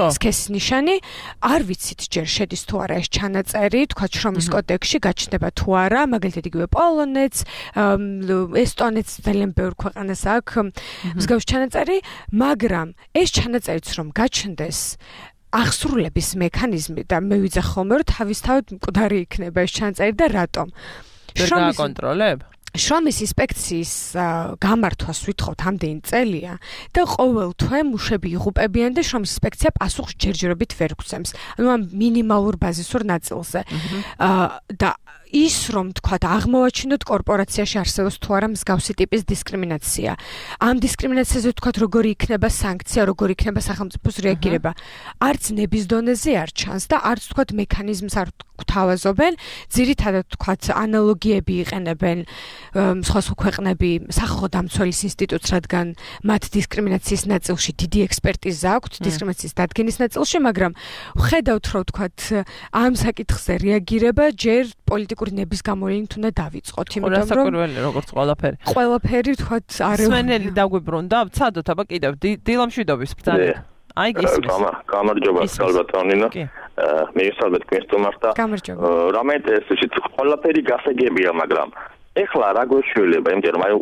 სქესის ნიშანი. არ ვიცით ჯერ შედის თუ არა ეს ჩანაწერი, თქვა შრომის კოდექსში გაჩნდება თუ არა, მაგალითად იგივე პოლონეთს, ესტონეთს, ძალიან ბევრ ქვეყანას აქვს მსგავსი ჩანაწერი, მაგრამ ეს ჩანაწერიც რომ გაჩნდეს აღსრულების მექანიზმი და მე ვიძახ ხოლმე, რომ თავისთავად მკვდარი იქნება ეს ჩანაწერი და რატომ? შრომის კონტროლებ? შრომის ინსპექციის გამართვას ვითხოვთ ამდენი წელია და ყოველ თვე მუშები იღუპებიან და შრომის ინსპექცია პასუხს ჯერჯერობით ვერ გვცემს. ანუ ამ მინიმალურ ბაზისურ ნაწილზე. და ის რომ თქვათ აღმოვაჩინოთ კორპორაციაში არსებობს თუ არა მსგავსი ტიპის დისკრიმინაცია. ამ დისკრიმინაციაზე თქვათ როგორი იქნება სანქცია, როგორი იქნება სახელმწიფოს რეაგირება. არც ნების დონეზე არ ჩანს და არც თქვათ მექანიზმს არ გვთავაზობენ. ძირითადად თქვათ ანალოგიები იყენებენ სხვა ქვეყნები სახალხო დამცველის ინსტიტუტს, რადგან მათ დისკრიმინაციის ნაწილში დიდი ექსპერტიზა აქვთ, დისკრიმინაციის დადგენის ნაწილში, მაგრამ ხედავთ რომ თქვათ ამ საკითხზე რეაგირება ჯერ პოლიტიკური ნების გამოვლენით უნდა დავიწყოთ, იმიტომ რომ როგორც ყველაფერი თქვათ არ სვენელი დაგვიბრუნდა, ვცადოთ აბა კიდევ დილამშვიდობის ბრძანა. აი გისმის. გამარჯობა სალბატონინო. მიესალმეთ კესტომარს და რამეთესში ყველაფერი გასაგებია, მაგრამ ეხლა რა გვეშველება, იმიტომ რომ აი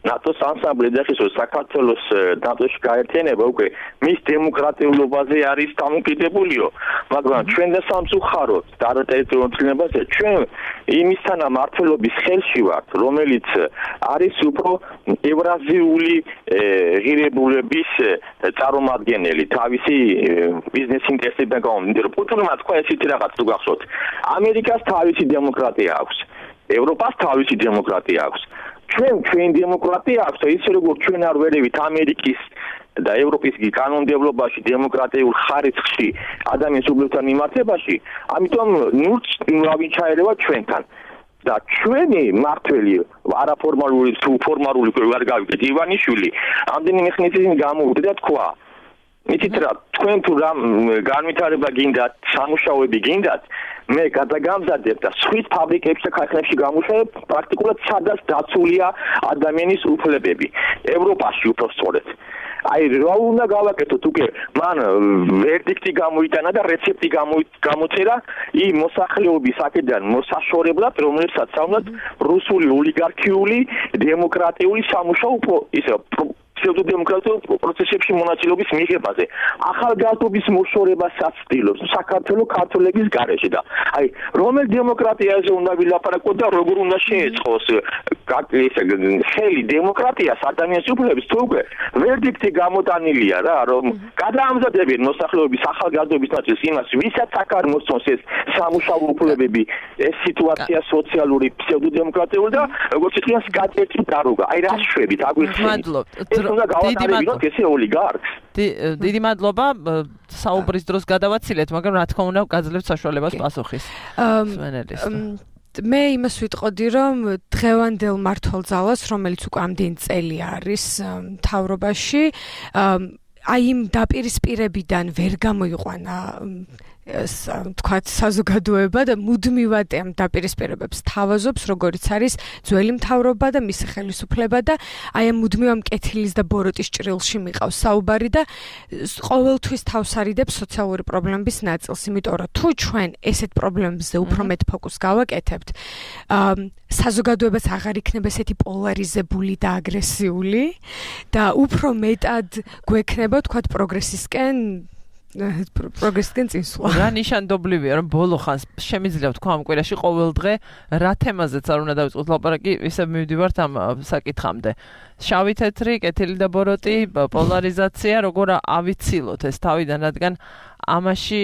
ნატოს ანსამბლი და ხის საქართველოს ნატოში გაერთიანება უკვე მის დემოკრატიულობაზე არის დამოკიდებულიო, მაგრამ ჩვენ და სამწუხაროდ და ტერიტორიულ ცნებაზე ჩვენ იმისთან მართლობის ხელში ვართ, რომელიც არის უფრო ევრაზიული ღირებულების წარმომადგენელი თავისი ბიზნეს ინტერესებიდან გამომდინარე. პუტინმა თქვა ესეთი რაღაც თუ გახსოვთ, ამერიკას თავისი დემოკრატია აქვს. ევროპას თავისი დემოკრატია აქვს. ჩვენ დემოკრატია აქვს და ისე როგორც ჩვენ არ ვერევით ამერიკის და ევროპის კანონმდებლობაში დემოკრატიულ ხარისხში ადამიანის უბნებთან მიმართებაში, ამიტომ ნუჩაერევა ჩვენთან. და ჩვენი მართველი არაფორმალური თუ ფორმალური არ გავიგეთ ივანიშვილი ამდენი ხნის გამოვიდა და თქვა იცით რა თქვენ თუ რამ განვითარება გინდათ სამუშაოები გინდათ მე გადაგამზადებ და სხვის ფაბრიკებში და ქარხნებში გამუშავებ პრაქტიკულად სადაც დაცულია ადამიანის უფლებები ევროპაში უბრალოდ აი რა უნდა გავაკეთოთ უკვე მან ვერდიქტი გამოიტანა და რეცეპტი გამოწერა იმ მოსახლეობის აქედან მოსაშორებლად რომელსაც საუნდათ რუსული ოლიგარქიული დემოკრატიული სამუშაო ისე ფსევდოდემოკრატიულ პროცესებში მონაწილეობის მიღებაზე ახალგაზრდობის მოშორებასაც ცდილობს საქართველოს ქართველების გარეშე და აი რომელ დემოკრატიაზე უნდა ვილაპარაკოთ და როგორ უნდა შეეწყოს ხელი დემოკრატიას ადამიანის უფლებების თუ უკვე ვერდიქტი გამოტანილია რა რომ გადაამზადებენ მოსახლეობის ახალგაზრდობის ნაწილს იმას ვისაც აქ არ მოსწონს ეს სამუშაო უფლებები ეს სიტუაცია სოციალური ფსევდოდემოკრატიული და როგორც ითქვას კატეთი დაროგა აი რა შვებით აგვიხსენით დიდი მადლობა საუბრის დროს გადავაცილეთ, მაგრამ რა თქმა უნდა გაძლევთ საშუალებას პასუხის. მე იმას ვიტყოდი, რომ დღევანდელ მართლძალას, რომელიც უკვე ამდენი წელი არის მთავრობაში, აი იმ დაპირისპირებიდან ვერ გამოიყვანა თქვათ საზოგადოება და მუდმივად ამ დაპირისპირებებს თავაზობს, როგორც არის ძველი მთავრობა და მისი ხელისუფლება და აი ამ მუდმივ ამ კეთილის და ბოროტის ჭრილში მიყავს საუბარი და ყოველთვის თავს არიდებს სოციალური პრობლემების ნაწილს, იმიტომ რომ თუ ჩვენ ესეთ პრობლემებზე უფრო მეტ ფოკუსს გავაკეთებთ, საზოგადოებას აღარ იქნება ესეთი პოლარიზებული და აგრესიული და უფრო მეტად გვექნება თქვათ პროგრესისკენ პროგრესიდან წინსვლა. რა ნიშანდობლივია, რომ ბოლო ხანს შემიძლია თქვა ამ კვირაში ყოველ დღე რა თემაზეც არ უნდა დავიწყოთ ლაპარაკი, ისე მივდივართ ამ საკითხამდე. შავი თეთრი, კეთილი და ბოროტი, პოლარიზაცია, როგორ ავიცილოთ ეს თავიდან, რადგან ამაში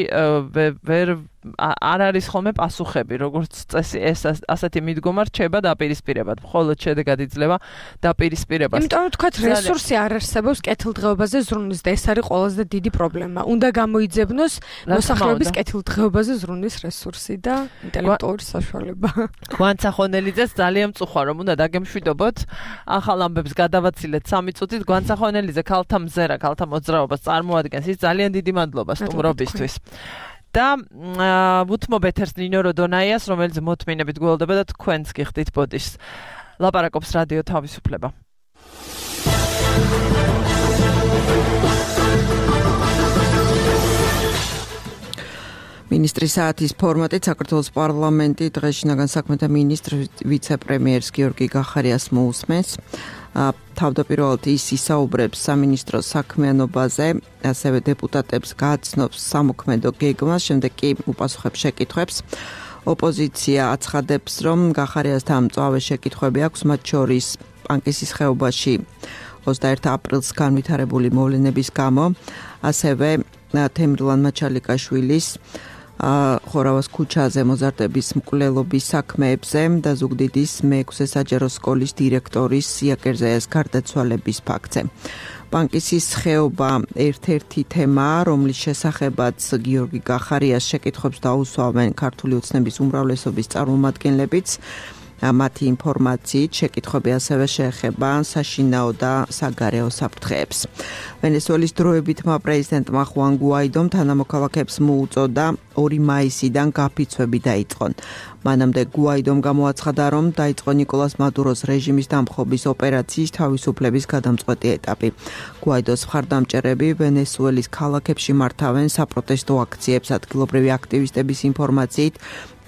არ არის ხოლმე პასუხები, როგორც წესი ეს ასეთი მიდგომა რჩება დაპირისპირებად, მხოლოდ შედეგად იძლევა დაპირისპირებას. იმიტომ რომ თქვათ რესურსი არ არსებობს კეთილდღეობაზე ზრუნვის და ეს არის ყველაზე დიდი პრობლემა. უნდა გამოიძებნოს მოსახლეობის კეთილდღეობაზე ზრუნვის რესურსი და ინტელექტუალური საშუალება. გვანცა ხონელიძეს ძალიან მწუხარ რომ უნდა დაგემშვიდობოთ. ახალ ამბებს გადავაცილეთ 3 წუთით. გვანცა ხონელიძე ქალთა მზერა, ქალთა მოძრაობას წარმოადგენს. ის ძალიან დიდი მადლობა სტუმრობისთვის. და ვუთმობ ეთერს ნინო როდონაიას, რომელიც მოთმინებით გველდება და თქვენც გიხდით ბოდიშს. ლაპარაკობს რადიო თავისუფლება. მინისტრის საათის ფორმატით საქართველოს პარლამენტი დღეს შინაგან საქმეთა მინისტრ ვიცე-პრემიერს გიორგი გახარიას მოусმენს. თავდაპირველად ის ისაუბრებს სამინისტროს საქმიანობაზე, ასევე დეპუტატებს გააცნობს სამოქმედო გეგმას, შემდეგ კი უპასუხებს შეკითხვებს. ოპოზიცია აცხადებს, რომ გახარიასთან მწვავე შეკითხვები აქვს, მათ შორის პანკისის ხეობაში 21 აპრილს განვითარებული მოვლენების გამო, ასევე თემრლან მაჩალიკაშვილის ხორავას ქუჩაზე მოზარდების მკვლელობის საქმეებზე და ზუგდიდის მე-6 საჯარო სკოლის დირექტორის სიაკერზეას გარდაცვალების ფაქტზე. ბანკისის ხეობა ერთ-ერთი თემაა, რომლის შესახებაც გიორგი გახარიას შეკითხვებს დაუსვამენ ქართული ოცნების უმრავლესობის წარმომადგენლებიც. მათი ინფორმაციით შეკითხვები ასევე შეეხება საშინაო და საგარეო საფრთხეებს. ვენესუელის დროებითმა პრეზიდენტმა ხუან გუაიდომ თანამოქალაქეებს მოუწოდა 2 მაისიდან გაფიცვები დაიწყონ. მანამდე გუაიდომ გამოაცხადა, რომ დაიწყო ნიკოლას მადუროს რეჟიმის დამხობის ოპერაციის თავისუფლების გადამწყვეტი ეტაპი. გუაიდოს მხარდამჭერები ვენესუელის ქალაქებში მართავენ საპროტესტო აქციებს. ადგილობრივი აქტივისტების ინფორმაციით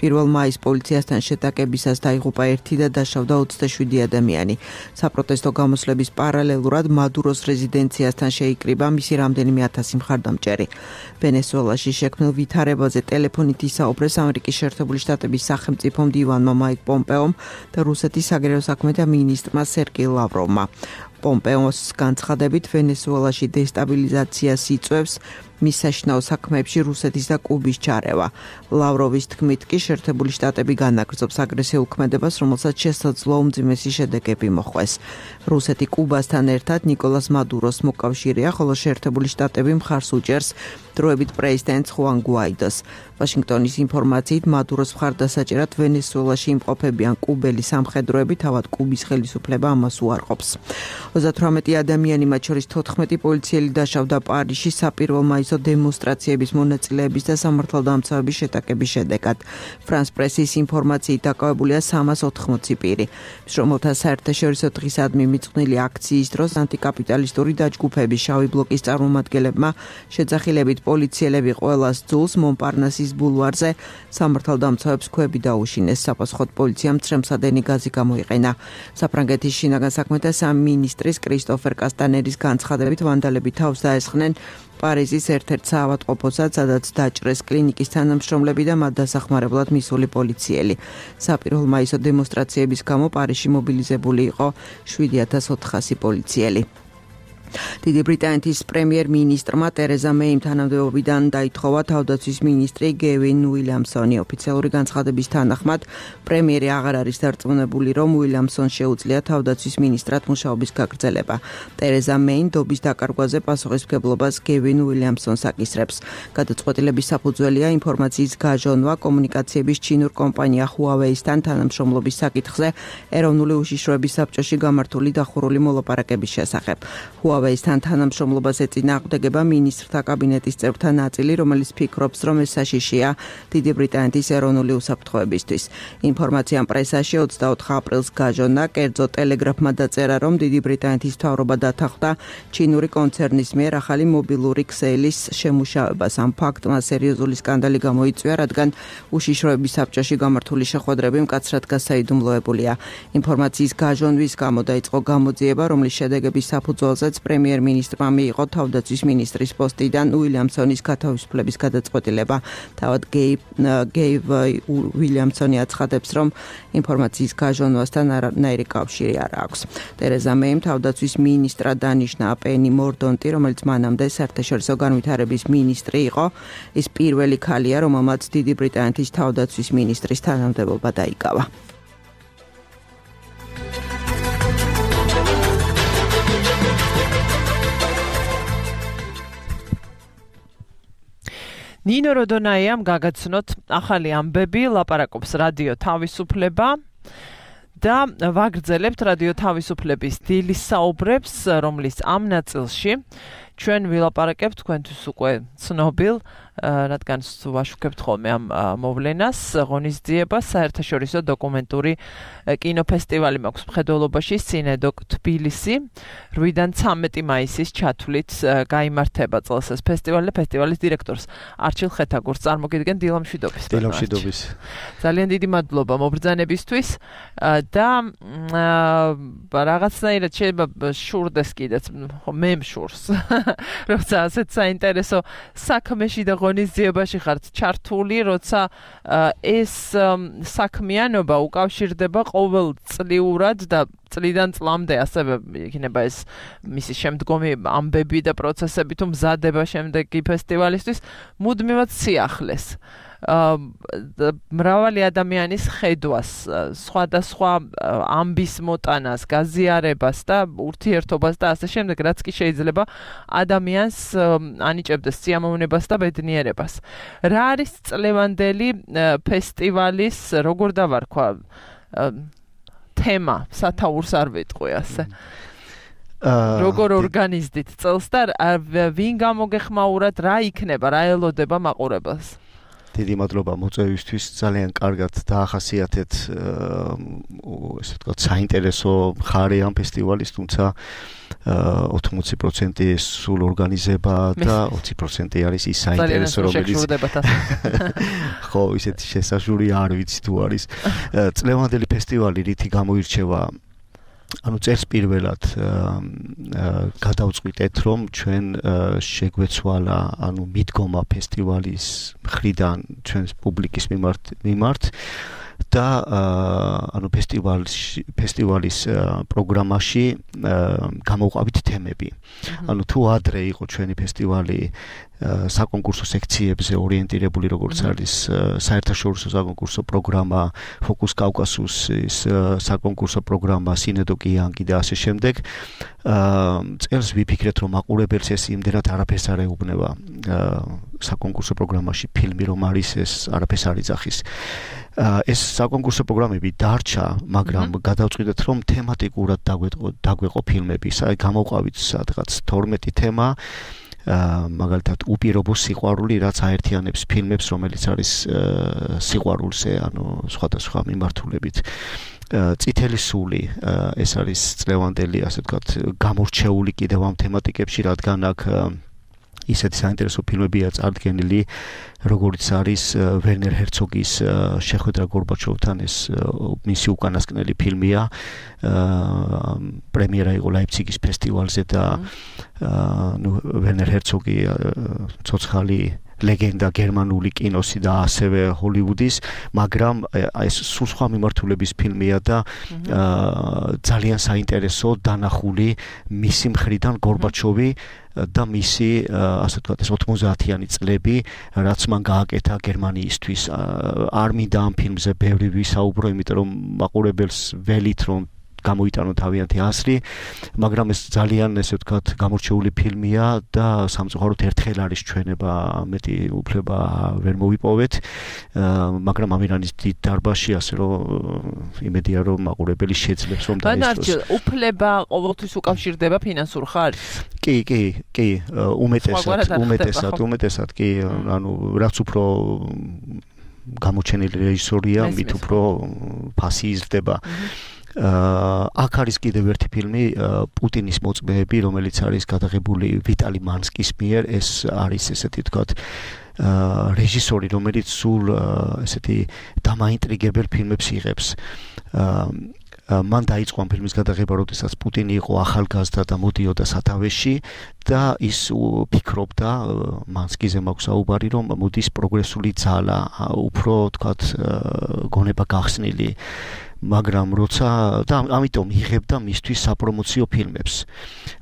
1 მაის პოლიციასთან შეტაკებისას დაიღუპა 1 და დაშავდა 27 ადამიანი. საპროტესტო გამოსვლების პარალელურად მადუროს რეზიდენციასთან შეიკრიბა მისი რამდენიმე 1000 მხარდამჭერი. ვენესუელაში შექმნილ ვითარებაზე ტელეფონით ისაუბრეს ამერიკის შეერთებული შტატების სახელმწიფო მდივანმა მაიკ პომპეომ და რუსეთის საგარეო საქმეთა მინისტრმა სერგეი ლავროვმა. პომპეოს განცხადებით ვენესუელაში დესტაბილიზაციას იწვევს მის საშინაო საქმეებში რუსეთის და კუბის ჩარევა. ლავროვის თქმით კი შეერთებული შტატები განაგრძობს აგრესიულ ქმედებას, რომელსაც შესაძლოა უმძიმესი შედეგები მოხვეს. რუსეთი კუბასთან ერთად ნიკოლას მადუროს მოკავშირეა, ხოლო შეერთებული შტატები მხარს უჭერს დროებით პრეზიდენტ ხუან გუაიდოს. ვაშინგტონის ინფორმაციით მადუროს მხარდასაჭერად ვენესუელაში იმყოფებიან კუბელი სამხედროები, თავად კუბის ხელისუფლება ამას უარყოფს. 38 ადამიანი, მათ შორის 14 პოლიციელი დაშავდა პარიზში საპირველ მაისო დემონსტრაციების მონაწილეების და სამართალდამცავების შეტაკების შედეგად. ფრანს პრესის ინფორმაციით დაკავებულია 380 პირი. რომელთა საერთაშორისო დღისადმი მიწყვნილი აქციის დროს ანტიკაპიტალისტური დაჯგუფების შავი ბლოკის წარმომადგენლებმა შეძახილებით პოლიციელები ყველას ძულს მონპარნასის ბულვარზე სამართალდამცავებს ქვები დაუშინეს. საპასუხოდ პოლიციამ წრემსადენი გაზი გამოიყენა. საფრანგეთის შინაგან საქმეთა სამინისტრის კრისტოფერ კასტანერის განცხადებით ვანდალები თავს დაესხნენ პარიზის ერთ-ერთ საავადმყოფოსაც, სადაც დაჭრეს კლინიკის თანამშრომლები და მათ დასახმარებლად მისული პოლიციელი. საპირველ მაისო დემონსტრაციების გამო პარიზში მობილიზებული იყო 7400 პოლიციელი. დიდი ბრიტანეთის პრემიერ-მინისტრმა ტერეზა მეიმ თანამდებობიდან დაითხოვა თავდაცვის მინისტრი გევინ უილიამსონი. ოფიციალური განცხადების თანახმად, პრემიერი აღარ არის დარწმუნებული, რომ უილიამსონს შეუძლია თავდაცვის მინისტრად მუშაობის გაგრძელება. ტერეზა მეიმ დობის დაკარგვაზე პასუხისმგებლობას გევინ უილიამსონს აკისრებს. გადაწყვეტილების საფუძველია ინფორმაციის გაჟონვა კომუნიკაციების ჩინურ კომპანია Huawei-სთან თანამშრომლობის საკითხზე ეროვნული უშიშროების საბჭოში გამართული დახურული მოლაპარაკების შესახებ. Huawei-სთან თანამშრომლობას ეწინააღმდეგება მინისტრთა კაბინეტის წევრთა ნაწილი, რომელიც ფიქრობს, რომ ეს საშიშია დიდი ბრიტანეთის ეროვნული უსაფრთხოებისთვის. ინფორმაციამ პრესაში 24 აპრილს გაჟონა, კერძო ტელეგრაფმა დაწერა, რომ დიდი ბრიტანეთის მთავრობა დათანხმდა ჩინური კონცერნის მიერ ახალი მობილური ქსელის შემუშავებას. ამ ფაქტმა სერიოზული სკანდალი გამოიწვია, რადგან უშიშროების საბჭოში გამართული შეხვედრები მკაცრად გასაიდუმლოებულია. ინფორმაციის გაჟონვის გამო დაიწყო გამოძიება, რომლის შედეგების საფუძველზეც პრემიერ-მინისტრმა მიიღო თავდაცვის მინისტრის პოსტიდან უილიამსონის გათავისუფლების გადაწყვეტილება. თავად გეივ უილიამსონი აცხადებს, რომ ინფორმაციის გაჟონვასთან არანაირი კავშირი არ აქვს. ტერეზა მეიმ თავდაცვის მინისტრად დანიშნა პენი მორდონტი, რომელიც მანამდე საერთაშორისო განვითარების მინისტრი იყო. ის პირველი ქალია, რომელმაც დიდი ბრიტანეთის თავდაცვის მინისტრის თანამდებობა დაიკავა. ნინო როდონაიამ გაგაცნოთ ახალი ამბები, ლაპარაკობს რადიო თავისუფლება და ვაგრძელებთ რადიო თავისუფლების დილის საუბრებს, რომლის ამ ნაწილში ჩვენ ვილაპარაკებთ თქვენთვის უკვე ცნობილ, რადგან ვაშუქებთ ხოლმე ამ მოვლენას, ღონისძიებას, საერთაშორისო დოკუმენტური კინოფესტივალი მაქვს მხედველობაში, სინედოკ თბილისი, 8-დან 13 მაისის ჩათვლით გაიმართება წელს ეს ფესტივალი და ფესტივალის დირექტორს არჩილ ხეთაგურს წარმოგიდგენ დილამშვიდობის. დილამშვიდობის. ძალიან დიდი მადლობა მობრძანებისთვის და რაღაცნაირად შეიძლება შურდეს კიდეც, მე მშურს. როცა ასეთ საინტერესო საქმეში და ღონისძიებაში ხართ ჩართული, როცა ეს საქმიანობა უკავშირდება ყოველწლიურად და წლიდან წლამდე ასევე იქნება ეს მისი შემდგომი ამბები და პროცესები თუ მზადება შემდეგი ფესტივალისთვის მუდმივად სიახლეს. მრავალი ადამიანის ხედვას, სხვადასხვა ამბის მოტანას, გაზიარებას და ურთიერთობას და ასე შემდეგ, რაც კი შეიძლება ადამიანს ანიჭებდეს სიამოვნებას და ბედნიერებას. რა არის წლევანდელი ფესტივალის, როგორ დავარქვა, თემა, სათაურს არ ვიტყვი ასე. როგორ ორგანიზდით წელს და ვინ გამოგეხმაურათ, რა იქნება, რა ელოდება მაყურებელს? დიდი მადლობა მოწვევისთვის, ძალიან კარგად დაახასიათეთ ესე ვთქვათ საინტერესო მხარე ამ ფესტივალის, თუმცა 80% სულ ორგანიზება და 20% არის ის საინტერესო, რომელიც ხო, ისეთი შესაძლებელი არ ვიცი თუ არის. წლევანდელი ფესტივალი რითი გამოირჩევა? ანუ წელს პირველად გადავწყვიტეთ, რომ ჩვენ შეგვეცვალა, ანუ მიდგომა ფესტივალის მხრიდან ჩვენს პუბლიკის მიმართ და ანუ ფესტივალის პროგრამაში გამოვყავით თემები. ანუ თუ ადრე იყო ჩვენი ფესტივალი საკონკურსო სექციებზე ორიენტირებული, როგორც არის საერთაშორისო საკონკურსო პროგრამა, ფოკუს კავკასუსის საკონკურსო პროგრამა, სინედო კიანგი და ასე შემდეგ. წელს ვიფიქრეთ, რომ მაყურებელს ეს იმდენად არაფერს არ ეუბნება საკონკურსო პროგრამაში ფილმი რომ არის, ეს არაფერს არ იძახის. ეს საკონკურსო პროგრამები დარჩა, მაგრამ გადავწყვიტეთ, რომ თემატიკურად დაგვეყო ფილმები. გამოვყავით სადღაც 12 თემა. მაგალითად უპირობო სიყვარული, რაც აერთიანებს ფილმებს, რომელიც არის სიყვარულზე, ანუ სხვადასხვა მიმართულებით. წითელი სული, ეს არის წლევანდელი, ასე ვთქვათ, გამორჩეული კიდევ ამ თემატიკებში, რადგან აქ ისეთი საინტერესო ფილმებია წარდგენილი, როგორც არის ვერნერ ჰერცოგის შეხვედრა გორბაჩოვთან, ეს მისი უკანასკნელი ფილმია. პრემიერა იყო ლაიფციგის ფესტივალზე და ვერნერ ჰერცოგი ცოცხალი ლეგენდა გერმანული კინოსი და ასევე ჰოლივუდის, მაგრამ ეს სულ სხვა მიმართულების ფილმია და ძალიან საინტერესო დანახული მისი მხრიდან გორბაჩოვი და მისი, ასე ვთქვათ, ეს 90-იანი წლები, რაც მან გააკეთა გერმანიისთვის. არ მინდა ამ ფილმზე ბევრი ვისაუბრო, იმიტომ რომ მაყურებელს ველით რომ გამოიტანო თავიანთი აზრი, მაგრამ ეს ძალიან, ესე ვთქვათ, გამორჩეული ფილმია და სამწუხაროდ ერთხელ არის ჩვენება, მეტი უფლება ვერ მოვიპოვეთ, მაგრამ ამირანის დიდ დარბაზში, ასე რომ იმედია, რომ მაყურებელი შეძლებს რომ დაესწროს. ბანარჯი, უფლება ყოველთვის უკავშირდება ფინანსურ ხარჯს? კი, უმეტესად, კი, ანუ რაც უფრო გამოჩენილი რეჟისორია, მით უფრო ფასი იზრდება. აქ არის კიდევ ერთი ფილმი, პუტინის მოწმეები, რომელიც არის გადაღებული ვიტალი მანსკის მიერ. ეს არის, ესეთი ვთქვათ, რეჟისორი, რომელიც სულ ესეთი დამაინტრიგებელ ფილმებს იღებს. მან დაიწყო ამ ფილმის გადაღება, როდესაც პუტინი იყო ახალგაზრდა და მოდიოდა სათავეში და ის ფიქრობდა, მანსკიზე მაქვს საუბარი, რომ მოდის პროგრესული ძალა, უფრო ვთქვათ, გონება გახსნილი. მაგრამ როცა და ამიტომ იღებდა მისთვის საპრომოციო ფილმებს.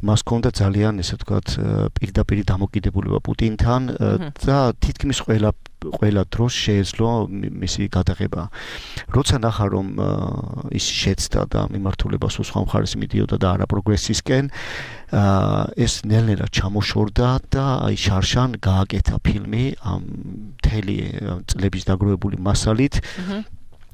მას ჰქონდა ძალიან, ესე ვთქვათ, პირდაპირ დამოკიდებულება პუტინთან და თითქმის ყველა დროს შეეძლო მისი გადაღება. როცა ნახა, რომ ის შეცდა და მიმართულება სულ სხვა მხარეს მიდიოდა და არა პროგრესისკენ, ეს ნელ-ნელა ჩამოშორდა და აი შარშან გააკეთა ფილმი ამ მთელი წლების დაგროვებული მასალით.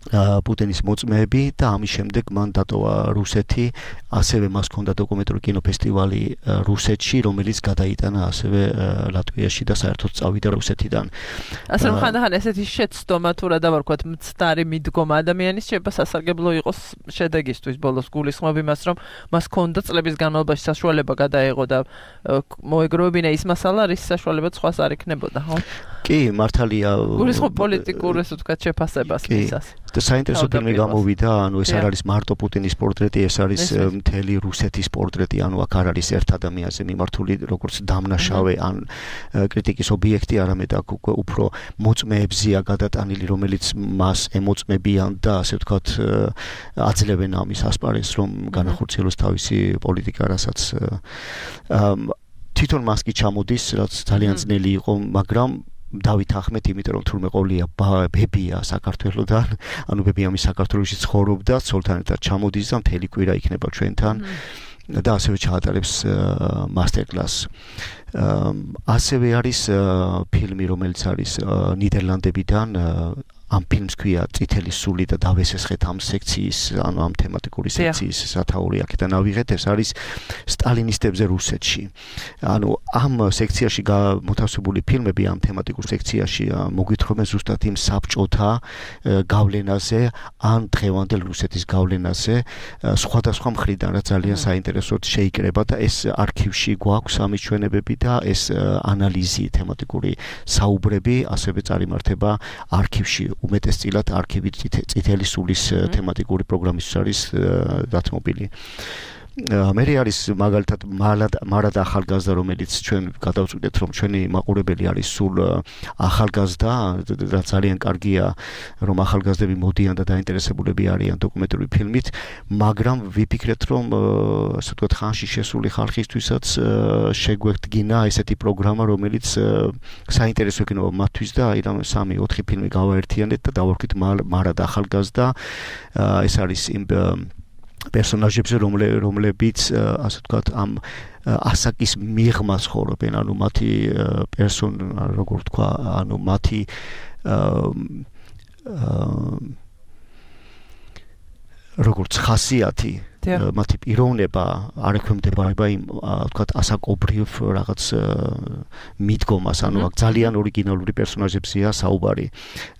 პუტინის მოწმეები და ამის შემდეგ მან დატოვა რუსეთი, ასევე მას ჰქონდა დოკუმენტური კინოფესტივალი რუსეთში, რომელიც გადაიტანა ასევე ლატვიაში და საერთოდ წავიდა რუსეთიდან. ასე რომ ხანდახან ესეთი შეცდომა თუ რა დავარქვათ, მცდარი მიდგომა ადამიანის შეიძლება სასარგებლო იყოს შედეგისთვის. ბოლოს გულისხმობ იმას, რომ მას ჰქონდა წლების განმავლობაში საშუალება გადაეღო და მოეგროვებინა ის მასალა, რის საშუალებაც სხვას არ იქნებოდა, ხო? კი, მართალია. გულისხმობ პოლიტიკურ, ესე ვთქვათ, შეფასებას მისას. და საინტერესო ფილმი გამოვიდა, ანუ ეს არ არის მარტო პუტინის პორტრეტი, ეს არის მთელი რუსეთის პორტრეტი, ანუ აქ არ არის ერთ ადამიანზე მიმართული, როგორც დამნაშავე ან კრიტიკის ობიექტი, არამედ აქ უფრო მოწმეებზია გადატანილი, რომელიც მას ემოწმებიან და ასე ვთქვათ, აძლევენ ამის ასპარეზს, რომ განახორციელოს თავისი პოლიტიკა, რასაც თვითონ მას კი ჩამოდის, რაც ძალიან ძნელი იყო, მაგრამ დავით ახმეთი, იმიტომ რომ თურმე ყოლია ბებია საქართველოსდან, ანუ ბებია მის საქართველოში ცხოვრობდა, ცოლთან ერთად ჩამოდის და მთელი კვირა იქნება ჩვენთან. და ასევე ჩაატარებს მასტერკლასს. ასევე არის ფილმი, რომელიც არის ნიდერლანდებიდან ამ ფილმს ქვია წითელი სული და დავესესხეთ ამ სექციის, ანუ ამ თემატიკური სექციის სათაური აქედან ავიღეთ, ეს არის სტალინისტებზე რუსეთში. ანუ ამ სექციაში მოთავსებული ფილმები ამ თემატიკურ სექციაში მოგვითხრობენ ზუსტად იმ საბჭოთა გავლენაზე, ან დღევანდელ რუსეთის გავლენაზე, სხვადასხვა მხრიდან, რაც ძალიან საინტერესოდ შეიკრება და ეს არქივში გვაქვს ამის ჩვენებები და ეს ანალიზი თემატიკური საუბრები ასევე წარიმართება არქივში. უმეტესწილად არქივი წითელი სულის თემატიკური პროგრამის არის დათმობილი. მე არის მაგალითად მარად ახალგაზრდა, რომელიც ჩვენ გადავწყვიტეთ, რომ ჩვენი მაყურებელი არის სულ ახალგაზრდა, და ძალიან კარგია, რომ ახალგაზრდები მოდიან და დაინტერესებულები არიან დოკუმენტური ფილმით, მაგრამ ვიფიქრეთ, რომ ასე ვთქვათ, ხანში შესული ხალხისთვისაც შეგვედგინა ესეთი პროგრამა, რომელიც საინტერესო იქნება მათთვის და აი რამე 3-4 ფილმი გავაერთიანეთ და დავარქვით მარად ახალგაზრდა. ეს არის იმ პერსონაჟებზე, რომლებიც ასე ვთქვათ, ამ ასაკის მიღმას ხორობენ, ანუ მათი როგორ ვთქვა, ანუ მათი როგორც ხასიათი, მათი პიროვნება არ ექვემდებარება იმ ვთქვათ ასაკობრივ რაღაც მიდგომას, ანუ აქ ძალიან ორიგინალური პერსონაჟებზეა საუბარი.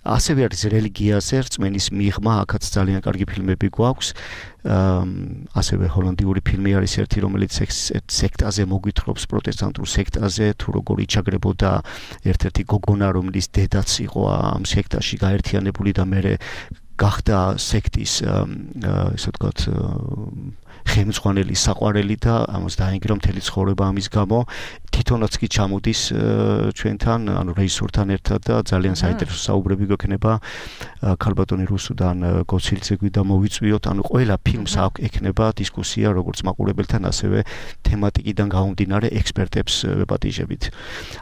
ასევე არის რელიგიაზე რწმენის მიღმა, აქაც ძალიან კარგი ფილმები გვაქვს. ასევე ჰოლანდიური ფილმი არის ერთი, რომელიც სექტაზე მოგვითხრობს, პროტესტანტულ სექტაზე, თუ როგორ იჩაგრებოდა ერთ-ერთი გოგონა, რომელიც დედაც იყო ამ სექტაში გაერთიანებული და მერე გახდა სექტის ესე ვთქვათ ხელმძღვანელი საყვარელი და ამას დაინგრა მთელი ცხოვრება ამის გამო. თვითონაც კი ჩამოდის ჩვენთან, ანუ რეჟისორთან ერთად და ძალიან საინტერესო საუბრები გვექნება ქალბატონი რუსუდან გოცილცეგვი და მოვიწვიოთ, ანუ ყველა ფილმს აქვს ექნება დისკუსია როგორც მაყურებელთან, ასევე თემატიკიდან გამომდინარე ექსპერტებს ვეპატიჟებით.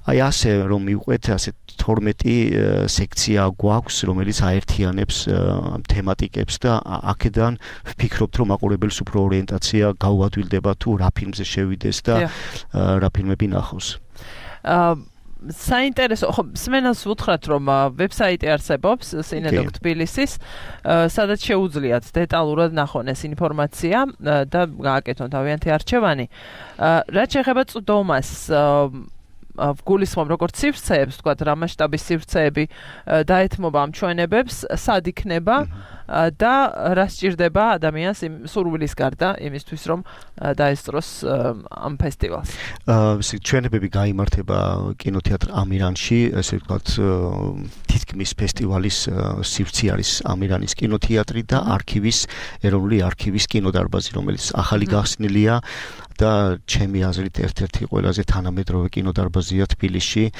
აი ასე რომ მივყვეთ, ასე 12 სექცია გვაქვს, რომელიც აერთიანებს თემატიკებს და აქედან ვფიქრობთ, რომ მაყურებელს უფრო ორიენტაცია გაუადვილდება თუ რა ფილმზე შევიდეს და რა ფილმები ნახოს. საინტერესო, ხო, სმენელს ვუთხრათ, რომ ვებსაიტი არსებობს სინედოკ თბილისის, სადაც შეუძლიათ დეტალურად ნახონ ეს ინფორმაცია და გააკეთონ თავიანთი არჩევანი. რაც შეეხება წვდომას, ვგულისხმობ როგორც სივრცეებს, თქვათ რა მასშტაბის სივრცეები დაეთმობა ამ ჩვენებებს, სად იქნება და რა სჭირდება ადამიანს იმ სურვილის გარდა იმისთვის, რომ დაესწროს ამ ფესტივალს. ჩვენებები გაიმართება კინოთეატრ ამირანში, ესე ვთქვათ, თითქმის ფესტივალის სივრცე არის ამირანის კინოთეატრი და ეროვნული არქივის კინოდარბაზი, რომელიც ახალი გახსნილია და ჩემი აზრით ერთ-ერთი ყველაზე თანამედროვე კინოდარბაზია თბილისში.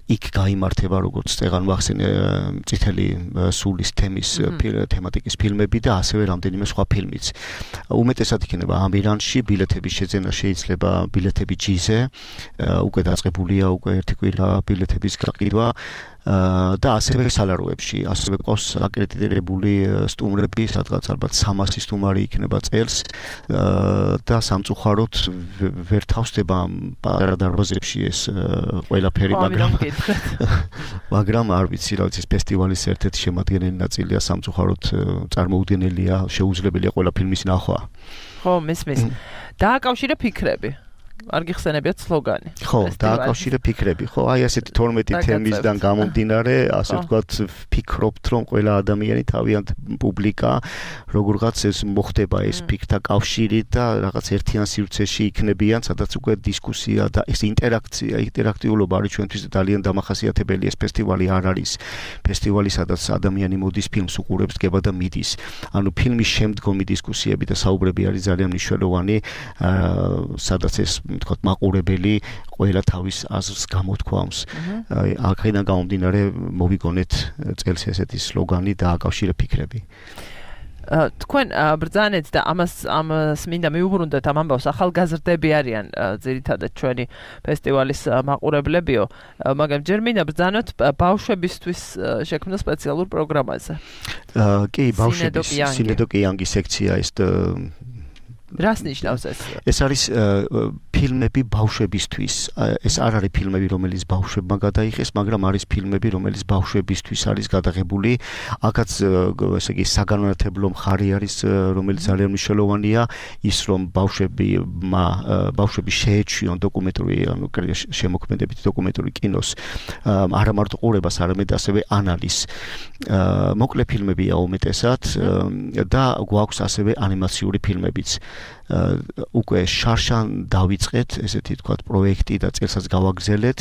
იქ გაიმართება როგორც წეგან ვახსენე წითელი სულის თემის თემატიკის ფილმები და ასევე რამდენიმე სხვა ფილმიც. უმეტესად იქნება ამირანში, ბილეთების შეძენა შეიძლება ბილეთები ჯიზე, უკვე დაწყებულია უკვე ერთი კვირა ბილეთების გაყიდვა. და ასევე სალაროებში, ასევე ყავს აკრედიტირებული სტუმრები, სადღაც ალბათ 300 სტუმარი იქნება წელს და სამწუხაროდ ვერ თავსდება პატარა დარბაზებში ეს ყველაფერი, მაგრამ არ ვიცი, რა ვიცი, ფესტივალის ერთ-ერთი შემადგენელი ნაწილია, სამწუხაროდ წარმოუდგენელია, შეუძლებელია ყველა ფილმის ნახვა. ხო, მესმის. დააკავშირე ფიქრები. არ გიხსენებიათ სლოგანი. ხო, დააკავშირე ფიქრები. ხო, აი ასეთი 12 თემისგან გამომდინარე, ასე ვთქვათ, ვფიქრობთ, რომ ყველა ადამიანი თავიანთ პუბლიკა როგორღაც ეს მოხდება ეს ფიქრთა კავშირი და რაღაც ერთიან სივრცეში იქნებიან, სადაც უკვე დისკუსია და ეს ინტერაქტიულობა არის ჩვენთვის ძალიან დამახასიათებელი. ეს ფესტივალი არ არის ფესტივალი, სადაც ადამიანი მოდის ფილმს უყურებს, დგება და მიდის. ანუ ფილმის შემდგომი დისკუსიები და საუბრები არის ძალიან მნიშვნელოვანი, სადაც ეს ვთქვათ, მაყურებელი ყველა თავის აზრს გამოთქვამს. აქედან გამომდინარე მოვიგონეთ წელს ესეთი სლოგანი და აკავშირე ფიქრები. თქვენ ბრძანეთ და ამას მინდა მიუბრუნდეთ ამ ამბავს ახალგაზრდები არიან ძირითადად ჩვენი ფესტივალის მაყურებლებიო მაგრამ ჯერ მინდა ბრძანოთ ბავშვებისთვის შექმნილ სპეციალურ პროგრამაზე კი ბავშვების სინედო კიანგი სექცია ის რას ნიშნავს ეს? ეს არის ფილმები ბავშვებისთვის. ეს არ არის ფილმები, რომელიც ბავშვებმა გადაიღეს, მაგრამ არის ფილმები, რომელიც ბავშვებისთვის არის გადაღებული. აქაც ესე იგი საგანმანათლებლო მხარე არის, რომელიც ძალიან მნიშვნელოვანია, ის რომ ბავშვები შეეჩვიონ დოკუმენტური, ანუ შემოქმედებითი დოკუმენტური კინოს, არა მარტო ყურებას, არამედ ასევე ანალიზს. მოკლე ფილმებია უმეტესად და გვაქვს ასევე ანიმაციური ფილმებიც. უკვე შარშან დავიწყეთ ესეთი თქვათ პროექტი და წელსაც გავაგრძელეთ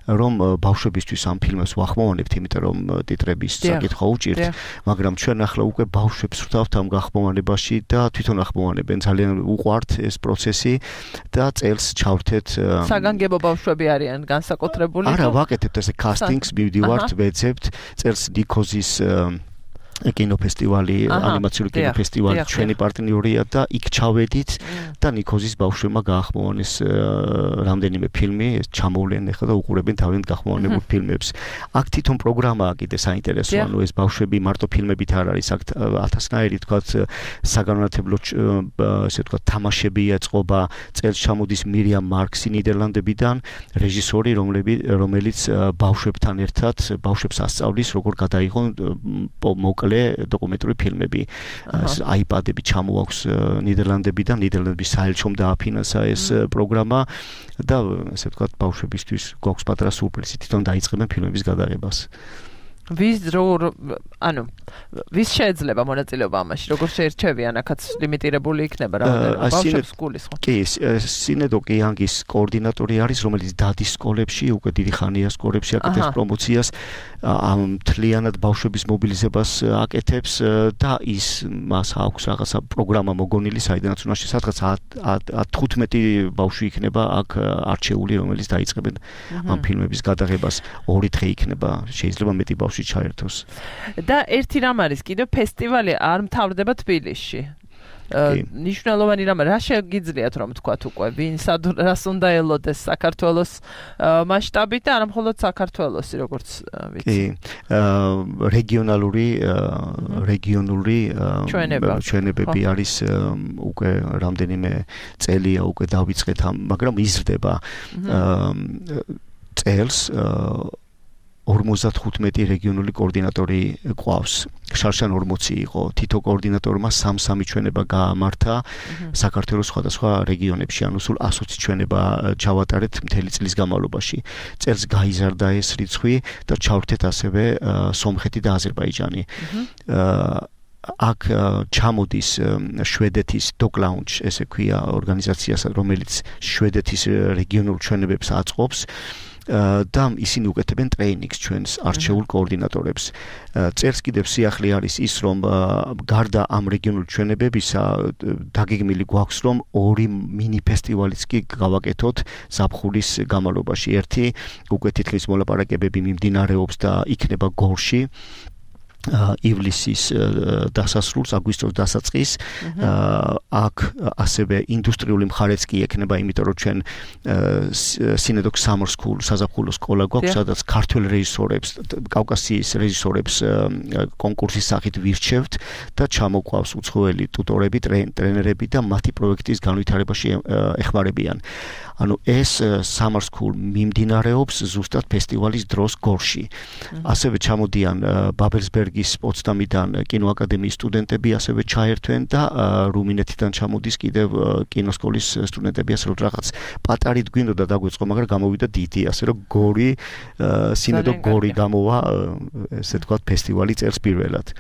რომ ბავშვებისთვის ამ ფილმებს ვახმოვანებთ იმიტომ რომ ტიტრების საკითხვა უჭირთ მაგრამ ჩვენ ახლა უკვე ბავშვებს ვხვდავთ ამ გახმოვანებაში და თვითონ ახმოვანებენ ძალიან უყვართ ეს პროცესი და წელს ჩავრთეთ საგანგებო ბავშვები არიან განსაკუთრებული არა ვაკეთებთ ესე კასტინგს მივდივართ ვეძებთ წელს ნიქოზის კინოფესტივალი, ანიმაციური კინოფესტივალი ჩვენი პარტნიორია და იქ ჩავედით და ნიქოზის ბავშვებმა გაახმოვანეს რამდენიმე ფილმი, ჩამოვლენ ახლა და უყურებენ თავიანთ გახმოვანებულ ფილმებს. აქ თვითონ პროგრამაა კიდე საინტერესო, ანუ ეს ბავშვები მარტო ფილმებით არ არის, აქ ათასნაირი თქვათ საგანმანათლებლო ესე თქვათ თამაშები ეწყობა, წელს ჩამოდის მირიამ მარქსი ნიდერლანდებიდან, რეჟისორი, რომელიც ბავშვებთან ერთად ბავშვებს ასწავლის, როგორ გადაიღონ მოკლე დოკუმენტური ფილმები. აიპადები ჩამოაქვს ნიდერლანდებიდან, ნიდერლანდების საელჩომ დააფინანსა ეს პროგრამა და ასე ვთქვათ, ბავშვებისთვის გვაქვს პატარა სურპრიზი, თვითონ დაიწყებენ ფილმების გადაღებას. ვის შეიძლება მონაწილეობა ამაში? როგორ შეერჩევიან? აქაც ლიმიტირებული იქნება რა ბავშვებს სკოლის ხო? კი, სინედო კიანგის კოორდინატორი არის, რომელიც დადის სკოლებში, უკვე დიდი ხანია სკოლებში აკეთებს პრომოციას, ამ მთლიანად ბავშვების მობილიზებას აკეთებს და მას აქვს რაღაცა პროგრამა მოგონილი, საიდანაც უნდა სადღაც 15 ბავშვი იქნება აქ არჩეული, რომელიც დაიწყებენ ამ ფილმების გადაღებას. 2 დღე იქნება, შეიძლება მეტი ბავშვი ჩაერთოს. და ერთი რამ არის კიდევ ფესტივალი არ მთავრდება თბილისში. ნიშნულოვანი რამ რა შეგიძლიათ რომ თქვათ უკვე ვინ რას უნდა ელოდეს საქართველოს მასშტაბით და არა მხოლოდ საქართველოსი როგორც ვიცი. რეგიონული ჩვენებები არის უკვე რამდენიმე წელია უკვე დავიწყეთ მაგრამ იზრდება წელს 55 რეგიონული კოორდინატორი ყავს. შარშან 40 იყო. თითო კოორდინატორმა 3 ჩვენება გაამართა საქართველოს სხვადასხვა რეგიონებში, ანუ სულ 120 ჩვენება ჩავატარეთ მთელი წლის განმავლობაში. წელს გაიზარდა ეს რიცხვი და ჩავრთეთ ასევე სომხეთი და აზერბაიჯანი. აქ ჩამოდის შვედეთის Dog Lounge, ესე ქვია ორგანიზაცია, რომელიც შვედეთის რეგიონულ ჩვენებებს აწყობს. და ისინი უკეთებენ ტრეინინგს ჩვენს არჩეულ კოორდინატორებს. წელს კიდევ სიახლე არის ის, რომ გარდა ამ რეგიონულ ჩვენებებისა დაგეგმილი გვაქვს, რომ 2 მინი ფესტივალიც კი გავაკეთოთ ზაფხულის განმავლობაში. ერთი უკვე თითქმის მოლაპარაკებები მიმდინარეობს და იქნება გორში. ივლისის დასასრულს, აგვისტოს დასაწყის. აქ ასევე ინდუსტრიული მხარეც კი ექნება, იმიტომ რომ ჩვენ სინედოქ Summer School საზაფხულო სკოლა გვაქვს, სადაც ქართველ რეჟისორებს, კავკასიის რეჟისორებს კონკურსის სახით ვირჩევთ და ჩამოყვავს უცხოელი ტუტორები, ტრენერები და მათი პროექტის განვითარებაში ეხმარებიან. ანუ ეს Summer School მიმდინარეობს ზუსტად ფესტივალის დროს გორში. ასევე ჩამოდიან ბაბელსბერგის პოცდამიდან კინოაკადემიის სტუდენტები ასევე ჩაერთვენ და რუმინეთიდან ჩამოდის კიდევ კინოსკოლის სტუდენტები, ასე რომ რაღაც პატარით გვინდოდა დაგვეწყო, მაგრამ გამოვიდა დიდი, ასე რომ სინედო გორი გამოვა, ესე თქვათ, ფესტივალი წელს პირველად.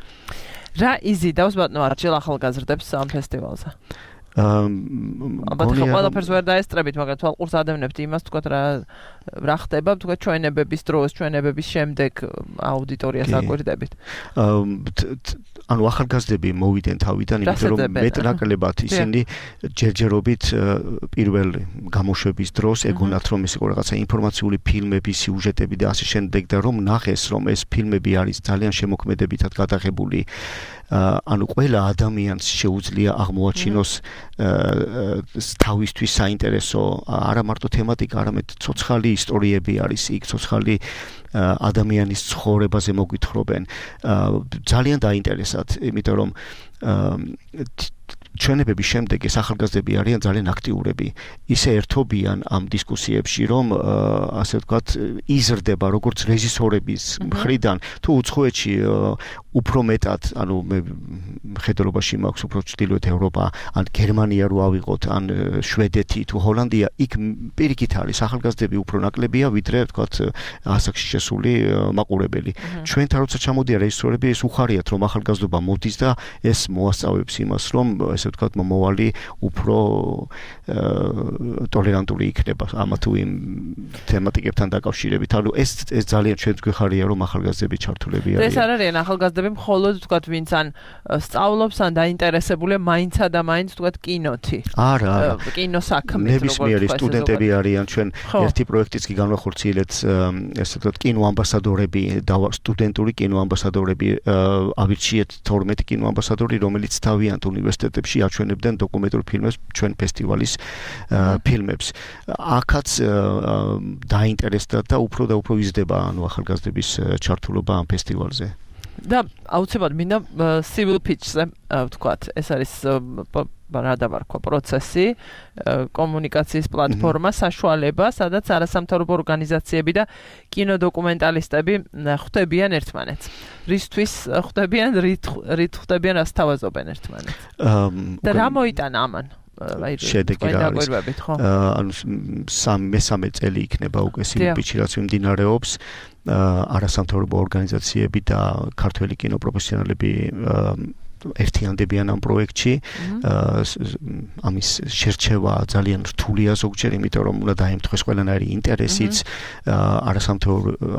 რა იზიდავს ბატონო არჩილ ახალგაზრდებს ამ ფესტივალზე? ალბათ ყველაფერს ვერ დაესწრებით, მაგრამ თვალყურს ადევნებთ იმას, თქვათ რა ხდება, თქვათ ჩვენებების დროს, ჩვენებების შემდეგ აუდიტორიას აკვირდებით. ანუ ახალგაზრდები მოვიდნენ თავიდან, იმიტომ რომ მეტნაკლებად ისინი ჯერჯერობით პირველ გამოშვების დროს ეგონათ რომ ეს იყო რაღაცა ინფორმაციული ფილმები, სიუჟეტები და ასე შემდეგ და რომ ნახეს რომ ეს ფილმები არის ძალიან შემოქმედებითად გადაღებული. ანუ ყველა ადამიანს შეუძლია აღმოაჩინოს თავისთვის საინტერესო არა მარტო თემატიკა, არამედ ცოცხალი ისტორიები არის იქ, ცოცხალი ადამიანის ცხოვრებაზე მოგვითხრობენ. ძალიან დაინტერესათ, იმიტომ რომ ჩვენებების შემდეგ ეს ახალგაზრდები არიან ძალიან აქტიურები. ისე ერთობიან ამ დისკუსიებში, რომ ასე ვთქვათ, იზრდება როგორც რეჟისორების მხრიდან, თუ უცხოეთში უფრო მეტად, ანუ მე ხედელობაში მაქვს უფრო ჩრდილოეთ ევროპა, ან გერმანია რო ავიღოთ, ან შვედეთი თუ ჰოლანდია, იქ პირიქით არის ახალგაზრდები უფრო ნაკლებია, ვიდრე ვთქვათ ასაკში შესული მაყურებელი. ჩვენთან როცა ჩამოდიან რეჟისორები, ეს უხარიათ, რომ ახალგაზრდობა მოდის და ეს მოასწავებს იმას, რომ ესე ვთქვათ, მომავალი უფრო ტოლერანტული იქნება ამა თუ იმ თემატიკებთან დაკავშირებით. ანუ ეს ძალიან ჩვენს გვეხარია, რომ ახალგაზრდები ჩართულები არიან. ეს არ არიან ახალგაზრდები მხოლოდ ვთქვათ, ვინც ან სწავლობს, ან დაინტერესებულია მაინცა და მაინც ვთქვათ კინოთი. არა. კინოსაქმით, ნებისმიერი სტუდენტები არიან, ჩვენ ერთი პროექტიც კი განვახორციელეთ, ესე ვთქვათ, კინოამბასადორები და სტუდენტური კინოამბასადორები ავირჩიეთ 12 კინოამბასადორი, რომელიც თავიანთ უნივერსიტეტებში აჩვენებდნენ დოკუმენტურ ფილმებს ჩვენ ფესტივალის ფილმებს. აქაც დაინტერესდა და უფრო იზრდება ანუ ახალგაზრდების ჩართულობა ამ ფესტივალზე. და აუცილებლად მინდა civil pitch-ზე ვთქვათ, ეს არის რა დავარქვა პროცესი, კომუნიკაციის პლატფორმა, საშუალება, სადაც არასამთავრობო ორგანიზაციები და კინოდოკუმენტალისტები ხვდებიან ერთმანეთს. რისთვის ხვდებიან, რით ხვდებიან, რას თავაზობენ ერთმანეთს. და რა მოიტანა ამან? შედეგი რა არის? ანუ მესამე წელი იქნება უკვე civil pitch-ი, რაც მიმდინარეობს. არასამთავრობო ორგანიზაციები და ქართველი კინოპროფესიონალები ერთიანდებიან ამ პროექტში. ამის შერჩევა ძალიან რთულია ზოგჯერ, იმიტომ რომ უნდა დაემთხვეს ყველანაირი ინტერესიც.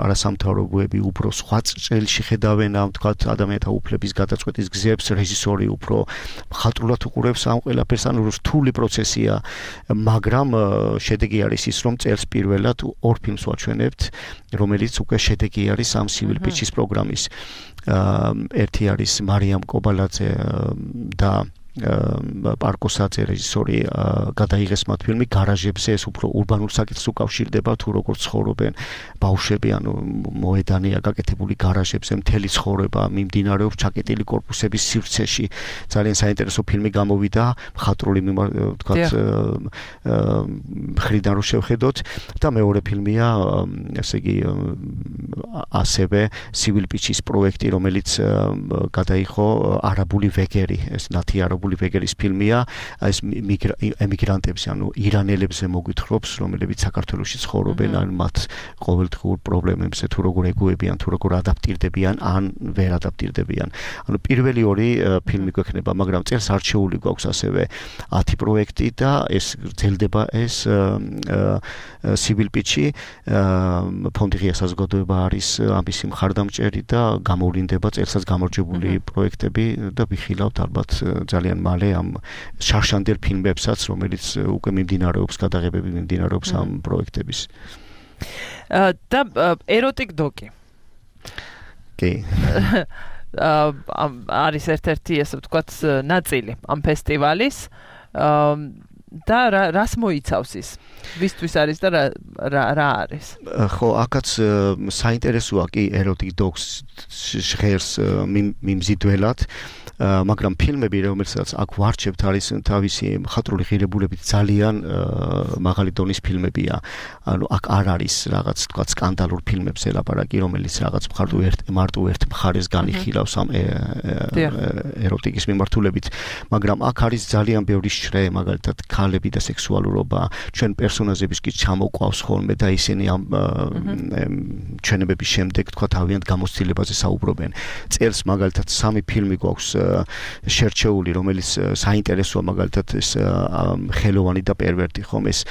არასამთავრობოები უფრო სხვა წელში ხედავენ ამ თქვათ ადამიანთა უფლების გადაწყვეტის გზებს, რეჟისორი უფრო მხატვრულად უყურებს ამ ყველაფერს, ანუ რთული პროცესია, მაგრამ შედეგი არის ის, რომ წელს პირველად ორ ფილმს ვაჩვენებთ, რომელიც უკვე შედეგი არის ამ civil pitch-ის პროგრამის. ერთი არის მარიამ კობალაძე და პარკოსაძე რეჟისორი გადაიღეს მათ ფილმი გარაჟებზე, ეს უფრო ურბანულ საკითხს უკავშირდება, თუ როგორ ცხოვრობენ ბავშვები, ანუ მოედანია გაკეთებული გარაჟებზე, მთელი ცხოვრება მიმდინარეობს ჩაკეტილი კორპუსების სივრცეში. ძალიან საინტერესო ფილმი გამოვიდა, მხატვრული ვთქვათ მხრიდან რო შევხედოთ და მეორე ფილმია, ესე იგი ასევე civil pitch-ის პროექტი, რომელიც გადაიღო არაბული ვეგერი, ეს ნათი არაბული ვეგერის ფილმია, ეს ემიგრანტებზე, ანუ ირანელებზე მოგვითხრობს, რომლებიც საქართველოში ცხოვრობენ, ან მათ ყოველდღიურ პრობლემებზე თუ როგორ ეგუებიან, თუ როგორ ადაპტირდებიან, ან ვერ ადაპტირდებიან. ანუ პირველი ორი ფილმი გვექნება, მაგრამ წელს არჩეული გვაქვს ასევე 10 პროექტი და ეს გრძელდება ეს civil pitch-ი. ფონდი ღია საზოგადოება არის ამისი მხარდამჭერი და გამოვლინდება წელსაც გამარჯვებული პროექტები და ვიხილავთ ალბათ ძალიან მალე ამ შარშანდელ ფილმებსაც, რომელიც უკვე მიმდინარეობს, გადაღებები მიმდინარეობს ამ პროექტების. და ეროტიკ დოკი. კი. არის ერთ-ერთი, ასე ვთქვათ, ნაწილი ამ ფესტივალის. და რას მოიცავს ის? ვისთვის არის და რა არის? ხო, აქაც საინტერესოა კი ეროტიკ დოკს ჟღერს მიმზიდველად, მაგრამ ფილმები, რომელსაც აქ ვარჩევთ, არის თავისი მხატვრული ღირებულებით ძალიან მაღალი დონის ფილმებია. ანუ აქ არ არის რაღაც თქვა სკანდალურ ფილმებზე ლაპარაკი, რომელიც რაღაც მარტო ერთ მხარეს განიხილავს ამ ეროტიკის მიმართულებით, მაგრამ აქ არის ძალიან ბევრი შრე, მაგალითად ხალები და სექსუალურობა ჩვენ პერსონაჟების კი ჩამოყვავს ხოლმე და ისინი ამ ჩვენებების შემდეგ თქვა თავიანთ გამოცდილებაზე საუბრობენ. წელს მაგალითად 3 ფილმი გვაქვს შერჩეული, რომელიც საინტერესოა მაგალითად ეს ხელოვანი და პერვერტი ხომ ეს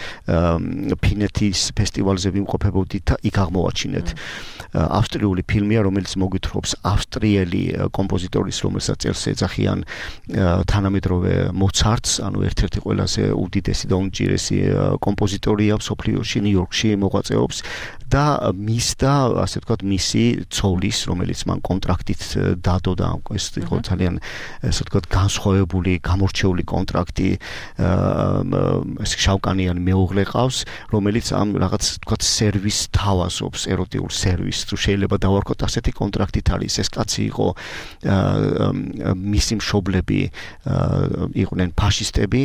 ფინეთის ფესტივალზე ვიმყოფებოდით და იქ აღმოვაჩინეთ. ავსტრიული ფილმია, რომელიც მოგვითხრობს ავსტრიელი კომპოზიტორის, რომელსაც წელს ეძახიან თანამედროვე მოცარტს, ანუ ერთ-ერთი ყველაზე უდიდესი და უმჭირესი კომპოზიტორია მსოფლიოში, ნიუ-იორკში მოღვაწეობს და მისდა, ასე ვთქვათ, მისი ცოლის, რომელიც მან კონტრაქტით დადო და ეს იყო ძალიან, ასე ვთქვათ, განსხვავებული, გამორჩეული კონტრაქტი, ეს შავკანიანი მეუღლე ყავს, რომელიც ამ რაღაც, ვთქვათ, სერვისს თავაზობს, ეროტიულ სერვისს, თუ შეიძლება დავარქოთ ასეთი კონტრაქტით არის. ეს კაცი იყო მისი მშობლები იყვნენ ფაშისტები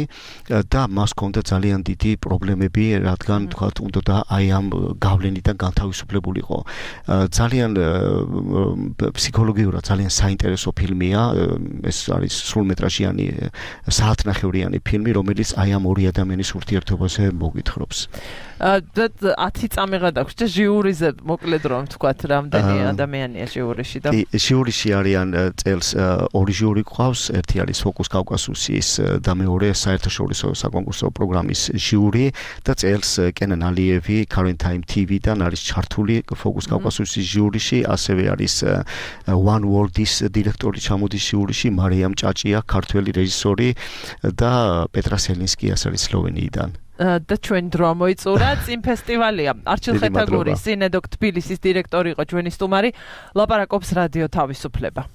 და მას ჰქონდა ძალიან დიდი პრობლემები, რადგან თქვათ უნდა აი ამ გავლენიდან განთავისუფლებულიყო. ძალიან ფსიქოლოგიურად ძალიან საინტერესო ფილმია. ეს არის სრულმეტრაჟიანი საათნახევრიანი ფილმი, რომელიც აი ამ ორი ადამიანის ურთიერთობაზე მოგვითხრობს. 10 წამიღა დაქვს და ჟიურიზე მოკლედ რომ ვთქვათ, რამდენი ადამიანია ჟიურიში და ჟიურიში არიან წელს ორი ჟიური ყავს, ერთი არის ფოკუს კავკასუსის და მეორე საერთაშორისო საკონკურსო პროგრამის ჟიური და წელს კენან ალიევი Current Time TV-დან არის ჩართული ფოკუს კავკასუსის ჟიურიში, ასევე არის One World-ის დირექტორი ჩამოდის ჟიურიში, მარიამ ჭაჭია, ქართველი რეჟისორი და პეტრა სელინსკი არის სლოვენიიდან. და ჩვენ დრო მოიწურა წინ ფესტივალია. არჩილ ხეთაგური, სინედოკ თბილისის დირექტორი იყო ჩვენი სტუმარი. ლაპარაკობს რადიო თავისუფლება.